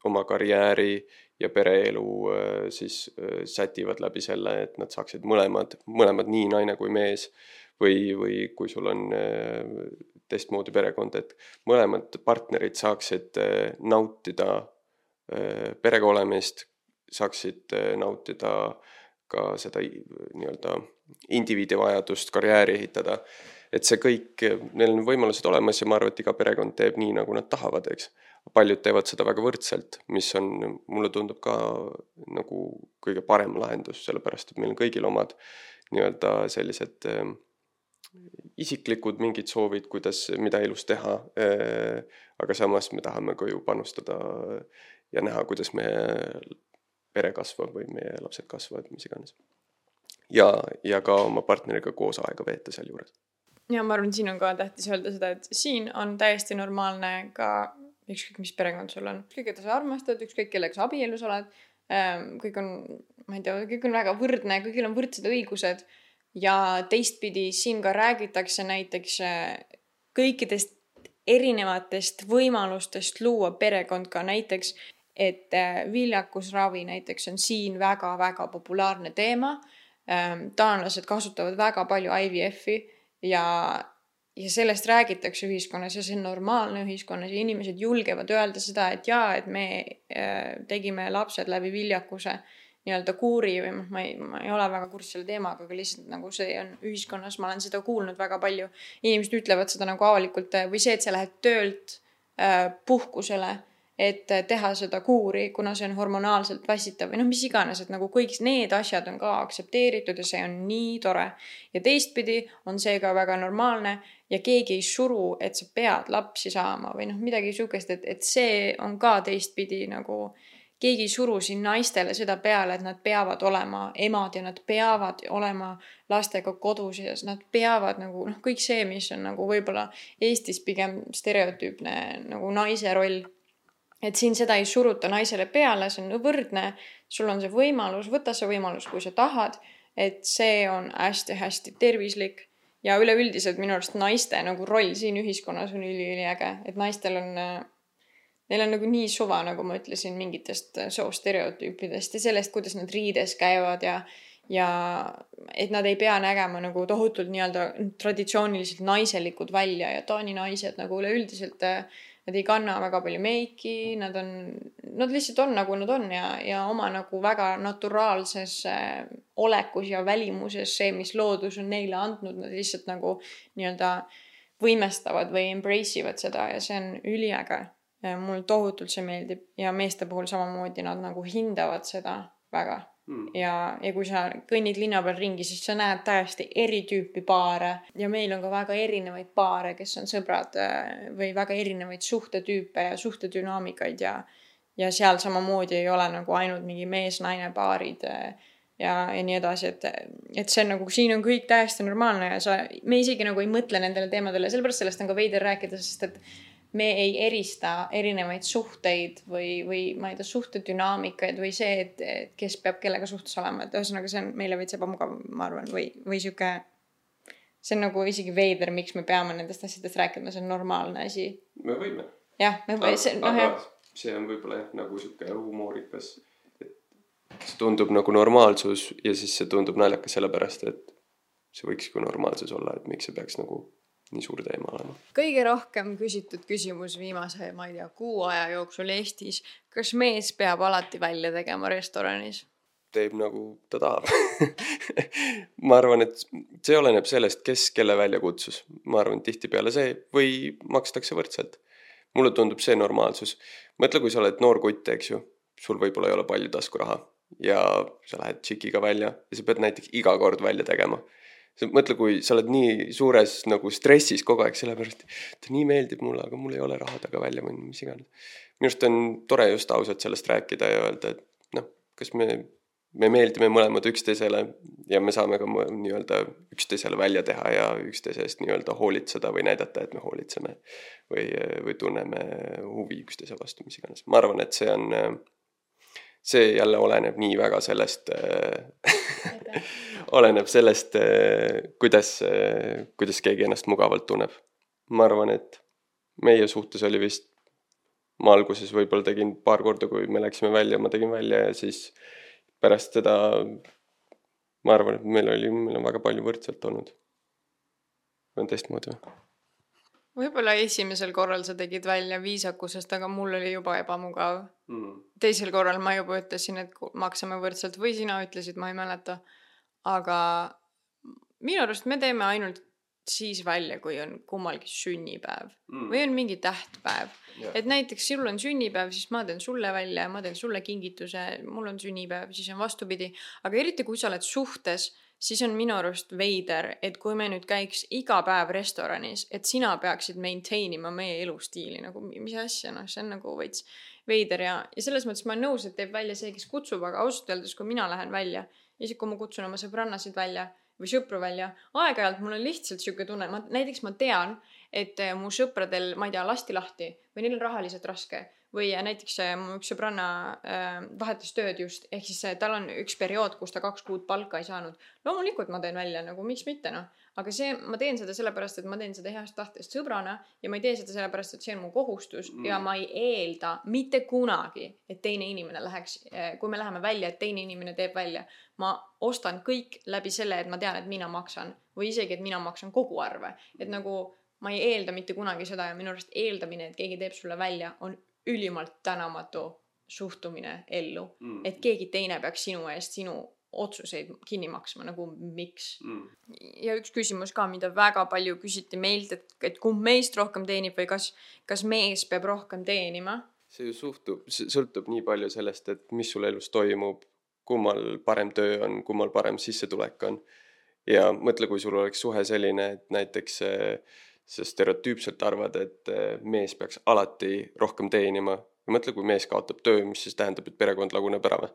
oma karjääri ja pereelu siis sätivad läbi selle, et nad saaksid mõlemad nii naine kui mees või kui sul on teistmoodi perekond, et mõlemad partnerid saaksid nautida perega olemist, saaksid nautida ka seda nii-öelda indiviidi vajadust karjääri ehitada, et see kõik, neil on võimalused olemas ja ma arvan, et iga perekond teeb nii, nagu nad tahavad, eks. Paljud teevad seda väga võrdselt, mis on, mulle tundub ka nagu kõige parem lahendus, sellepärast, et meil on kõigil omad nii-öelda sellised isiklikud mingid soovid, mida elus teha, aga samas me tahame ka ju panustada ja näha, kuidas meie pere kasvab või meie lapsed kasvavad, mis iganes. Ja ka oma partneriga koos aega veeta seal juures. Ja ma arvan, siin on ka tähtis öelda seda, et siin on täiesti normaalne ka ükskõik, mis perekond sul on. Ükskõik, et sa armastad, ükskõik, kellega sa abielus oled. Kõik on, ma ei tea, kõik on väga võrdne, kõigil on võrdsed õigused ja teistpidi siin ka räägitakse näiteks kõikidest erinevatest võimalustest luua perekond ka näiteks, et viljakusravi näiteks on siin väga-väga populaarne teema. Taanlased kasutavad väga palju IVF-i ja sellest räägitakse ühiskonnas ja see on normaalne ühiskonnas ja inimesed julgevad öelda seda, et jaa, et me tegime lapsed läbi viljakuse nii-öelda kuuri või ma ei ole väga kursis selle teemaga, aga lihtsalt nagu see on ühiskonnas, ma olen seda kuulnud väga palju. Inimesed ütlevad seda nagu avalikult või see, et sa lähed töölt puhkusele, et teha seda kuuri, kuna see on hormonaalselt väsitav või mis iganes, et nagu kõik need asjad on ka aktsepteeritud ja see on nii tore. Ja teistpidi on see ka väga normaalne ja keegi ei suru, et sa pead lapsi saama või midagi sukest, et see on ka teistpidi nagu keegi ei suru siin naistele seda peale, et nad peavad olema emad ja nad peavad olema lastega kodus ja nad peavad nagu kõik see, mis on nagu võib-olla Eestis pigem stereotüüpne nagu naise roll. Et siin seda ei suruta naisele peale, see on võrdne, sul on see võimalus, võta see võimalus, kui sa tahad, et see on hästi-hästi tervislik ja üleüldiselt minu arust naiste nagu roll siin ühiskonnas on üliäge, et naistel on, neil on nagu nii suva, nagu ma ütlesin, mingitest soostereotüüpidest ja sellest, kuidas nad riides käivad ja et nad ei pea nägema nagu tohutult nii-öelda traditsiooniliselt naiselikud välja ja Taani naised nagu üleüldiselt nad ei kanna väga palju meiki, nad lihtsalt on nagu nad on ja oma nagu väga naturaalses olekus ja välimuses see, mis loodus on neile andnud, nad lihtsalt nagu nii-öelda võimestavad või embrace ivad seda ja see on üliäge. Mul tohutult see meeldib ja meeste puhul samamoodi nad nagu hindavad seda väga. Ja kui sa kõnnid linna peal ringi, siis sa näed täiesti eri tüüpi paare ja meil on ka väga erinevaid paare, kes on sõbrad või väga erinevaid suhtetüüpe ja suhtedünaamikaid ja seal samamoodi ei ole nagu ainult mingi mees-naine paarid ja nii edasi, et see on nagu, siin on kõik täiesti normaalne ja me isegi nagu ei mõtle nendele teemadele, sellepärast sellest on ka veider rääkida, sest et me ei erista erinevaid suhteid või ma ei tea, suhtedünaamikaid või see, et kes peab kellega suhtes olema. Et ühesõnaga see on meile veits ebamugav, ma arvan, või siuke, see on nagu isegi veider, miks me peame nendest asjadest rääkima, see on normaalne asi. Me võime. Jah, me võime. Aga see on võib-olla nagu siuke humoorikas, et see tundub nagu normaalsus ja siis see tundub naljakas sellepärast, et see võiks kui normaalsus olla, et miks see peaks nagu nii suur teema olema. Kõige rohkem küsitud küsimus viimase, ma ei tea, 6 aja jooksul Eestis. Kas mees peab alati välja tegema restoranis? Teeb nagu ta tahab. Ma arvan, et see oleneb sellest, kes kelle välja kutsus. Ma arvan, tihti peale see või makstakse võrdselt. Mulle tundub see normaalsus. Mõtle, kui sa oled noor kutt, eks ju, sul võib-olla ei ole palju taskuraha ja sa lähed tšikiga välja ja sa pead näiteks iga kord välja tegema. Mõtle, kui sa oled nii suures nagu stressis kogu aeg, sellepärast, et nii meeldib mulle, aga mul ei ole raha taga välja või mis iganes. Minust on tore just ausalt sellest rääkida ja öelda, et kas me meeldime mõlemad üksteisele ja me saame ka nii-öelda üksteisele välja teha ja üksteisest nii-öelda hoolitseda või näidata, et me hoolitseme või tunneme huvi üksteise vastu, mis iganes. Ma arvan, et see jälle oleneb nii väga sellest oleneb sellest, kuidas keegi ennast mugavalt tunneb. Ma arvan, et meie suhtes oli vist, ma alguses võib-olla tegin paar korda, kui me läksime välja, ma tegin välja ja siis pärast seda ma arvan, et meil on väga palju võrdselt olnud. On teistmoodi või? Võib-olla esimesel korral sa tegid välja viisakusest, aga mul oli juba ebamugav. Teisel korral ma juba ütlesin, et maksame võrdselt või sina ütlesid, ma ei mäleta. Aga minu arust me teeme ainult siis välja, kui on kummalgi sünnipäev või on mingi tähtpäev. Yeah. Et näiteks sul on sünnipäev, siis ma teen sulle välja, ma teen sulle kingituse, mul on sünnipäev, siis on vastupidi. Aga eriti kui sa oled suhtes, siis on minu arust veider, et kui me nüüd käiks iga päev restoranis, et sina peaksid maintainima meie elustiili, nagu mis asja, see on nagu veits veider ja selles mõttes ma olen nõus, et teeb välja see, kes kutsub, aga ausalt öeldes, kui mina lähen välja, isegi kui ma kutsun oma sõbrannasid välja või sõpru välja, aeg-ajalt mul on lihtsalt siuke tunne, näiteks ma tean, et mu sõpradel, ma ei tea, lasti lahti või neil on rahaliselt raske või näiteks mu üks sõbranna vahetas tööd just, ehk siis tal on üks periood, kus ta 2 kuud palka ei saanud. Loomulikult ma teen välja, nagu miks mitte, noh. Aga ma teen seda sellepärast, et ma teen seda heast tahtest sõbrana ja ma ei tee seda sellepärast, et see on mu kohustus ja ma ei eelda mitte kunagi, et teine inimene läheks, kui me läheme välja, et teine inimene teeb välja. Ma ostan kõik läbi selle, et ma tean, et mina maksan või isegi, et mina maksan kogu arve. Et nagu ma ei eelda mitte kunagi seda ja minu arust eeldamine, et keegi teeb sulle välja, on ülimalt tänamatu suhtumine ellu. Et keegi teine peaks sinu eest sinu otsuseid kinni maksma, nagu miks. Ja üks küsimus ka, mida väga palju küsiti meilt, et kumb meist rohkem teenib või kas mees peab rohkem teenima? See ju sõltub nii palju sellest, et mis sul elus toimub, kummal parem töö on, kummal parem sissetulek on. Ja mõtle, kui sul oleks suhe selline, et näiteks sa stereotüüpselt arvad, et mees peaks alati rohkem teenima. Mõtle, kui mees kaotab töö, mis siis tähendab, et perekond laguneb ära või?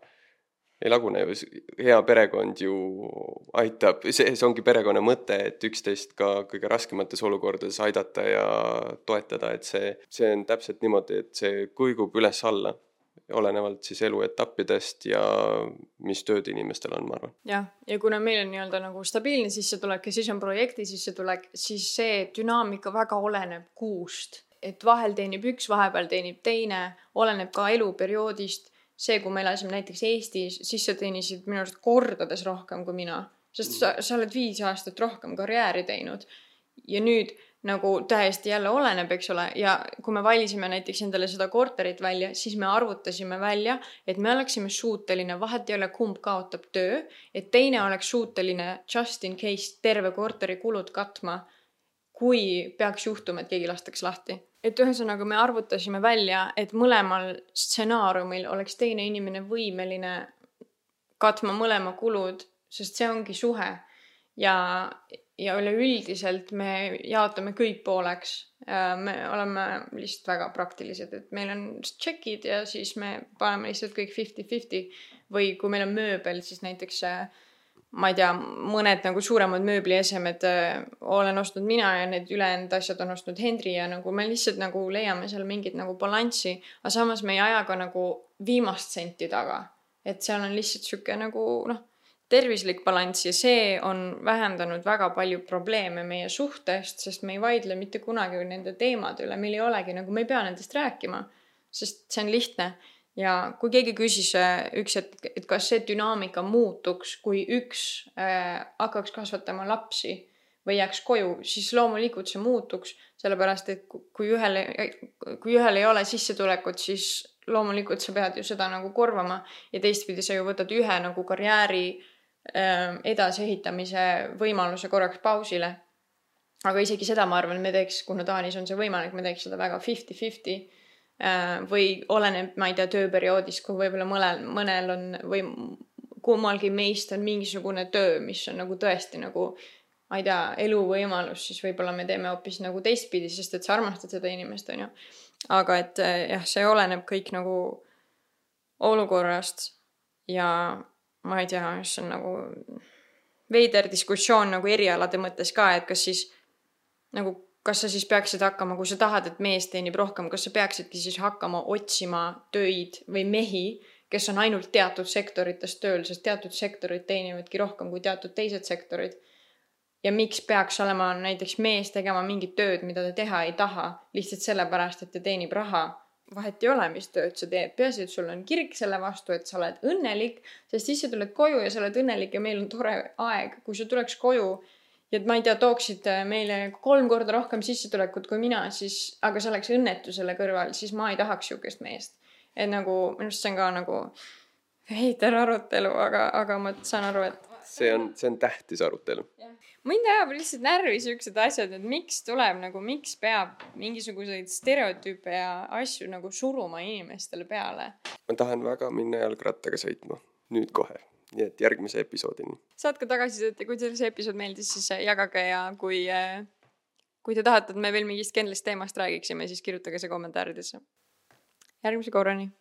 Ei lagune ju, hea perekond ju aitab, see ongi perekonna mõte, et üksteist ka kõige raskemates olukordades aidata ja toetada, et see on täpselt niimoodi, et see kuigub üles alla, olenevalt siis eluetappidest ja mis tööd inimestel on, ma arvan. Ja kuna meil on nii-öelda nagu stabiilne sissetulek ja siis on projekti sissetulek, siis see dünaamika väga oleneb kuust, et vahel teenib üks, vahepeal teenib teine, oleneb ka eluperioodist. See, kui me elasime näiteks Eestis, siis sa teenisid minu arust kordades rohkem kui mina. Sest sa oled 5 aastat rohkem karjääri teinud. Ja nüüd nagu täiesti jälle oleneb, eks ole. Ja kui me valisime näiteks endale seda korterit välja, siis me arvutasime välja, et me oleksime suuteline, vahet ei ole kumb kaotab töö, et teine oleks suuteline just in case terve korteri kulud katma, kui peaks juhtuma, et keegi lastaks lahti. Et ühesõnaga me arvutasime välja, et mõlemal stsenaariumil oleks teine inimene võimeline katma mõlema kulud, sest see ongi suhe. Ja üleüldiselt me jaotame kõik pooleks. Me oleme lihtsalt väga praktilised, et meil on tšekid ja siis me paneme lihtsalt kõik 50-50 või kui meil on mööbel, siis näiteks ma ei tea, mõned nagu suuremad mööbliesemed olen ostnud mina ja need ülejäänud asjad on ostnud Henri ja nagu me lihtsalt nagu leiame seal mingit nagu balanssi, aga samas me ei aja ka nagu viimast senti taga. Et seal on lihtsalt siuke nagu tervislik balanss ja see on vähendanud väga palju probleeme meie suhtest, sest me ei vaidle mitte kunagi nende teemade üle, meil ei olegi nagu, me ei pea nendest rääkima, sest see on lihtne. Ja kui keegi küsis üks, et kas see dünaamika muutuks, kui üks hakkaks kasvatama lapsi või jääks koju, siis loomulikult see muutuks, sellepärast, et kui ühel ei ole sissetulekut, siis loomulikult sa pead ju seda nagu korvama ja teistpidi sa ju võtad ühe nagu karjääri edasiehitamise võimaluse korraks pausile. Aga isegi seda ma arvan, me teeks, kuna Taanis on see võimalik, me teeks seda väga 50-50 või oleneb, ma ei tea, tööperioodis, kui võib-olla mõnel on või kummalgi meist on mingisugune töö, mis on nagu tõesti nagu, ma ei tea, eluvõimalus, siis võib-olla me teeme hoopis nagu teistpidi, sest et sa armastad seda inimest, on ju. Aga et jah, see oleneb kõik nagu olukorrast ja ma ei tea, see on nagu veider diskussioon nagu erialade mõttes ka, et kas siis nagu, kas sa siis peaksid hakkama, kui sa tahad, et mees teenib rohkem, kas sa peaksidki siis hakkama otsima töid või mehi, kes on ainult teatud sektorites tööl, sest teatud sektorid teenivadki rohkem kui teatud teised sektorid. Ja miks peaks olema näiteks mees tegema mingit tööd, mida ta teha ei taha, lihtsalt sellepärast, et ta teenib raha. Vahet ei ole, mis tööd sa teed. Peaasi, et sul on kirg selle vastu, et sa oled õnnelik, sest siis sa tuled koju ja sa oled õnnelik ja meil on tore aeg. Kui sa tuleks koju ja ma ei tea, tooksid meile 3 korda rohkem sissetulekut kui mina, siis, aga see oleks õnnetu selle kõrval, siis ma ei tahaks siukest meest. Et nagu, minust see on ka nagu heiter arutelu, aga ma saan aru, et see on tähtis arutelu. Mind ajab lihtsalt närvi siuksed asjad, et miks peab mingisuguseid stereotüüpe ja asju nagu suruma inimestele peale. Ma tahan väga minna jalgrattaga sõitma. Nüüd kohe. Nii et järgmise episoodini. Saatke tagasisidet ja kui teil see episood meeldis, siis jagage ja kui te tahate, et me veel mingist kindlast teemast räägiksime, siis kirjutage see kommentaaridesse. Järgmise korrani.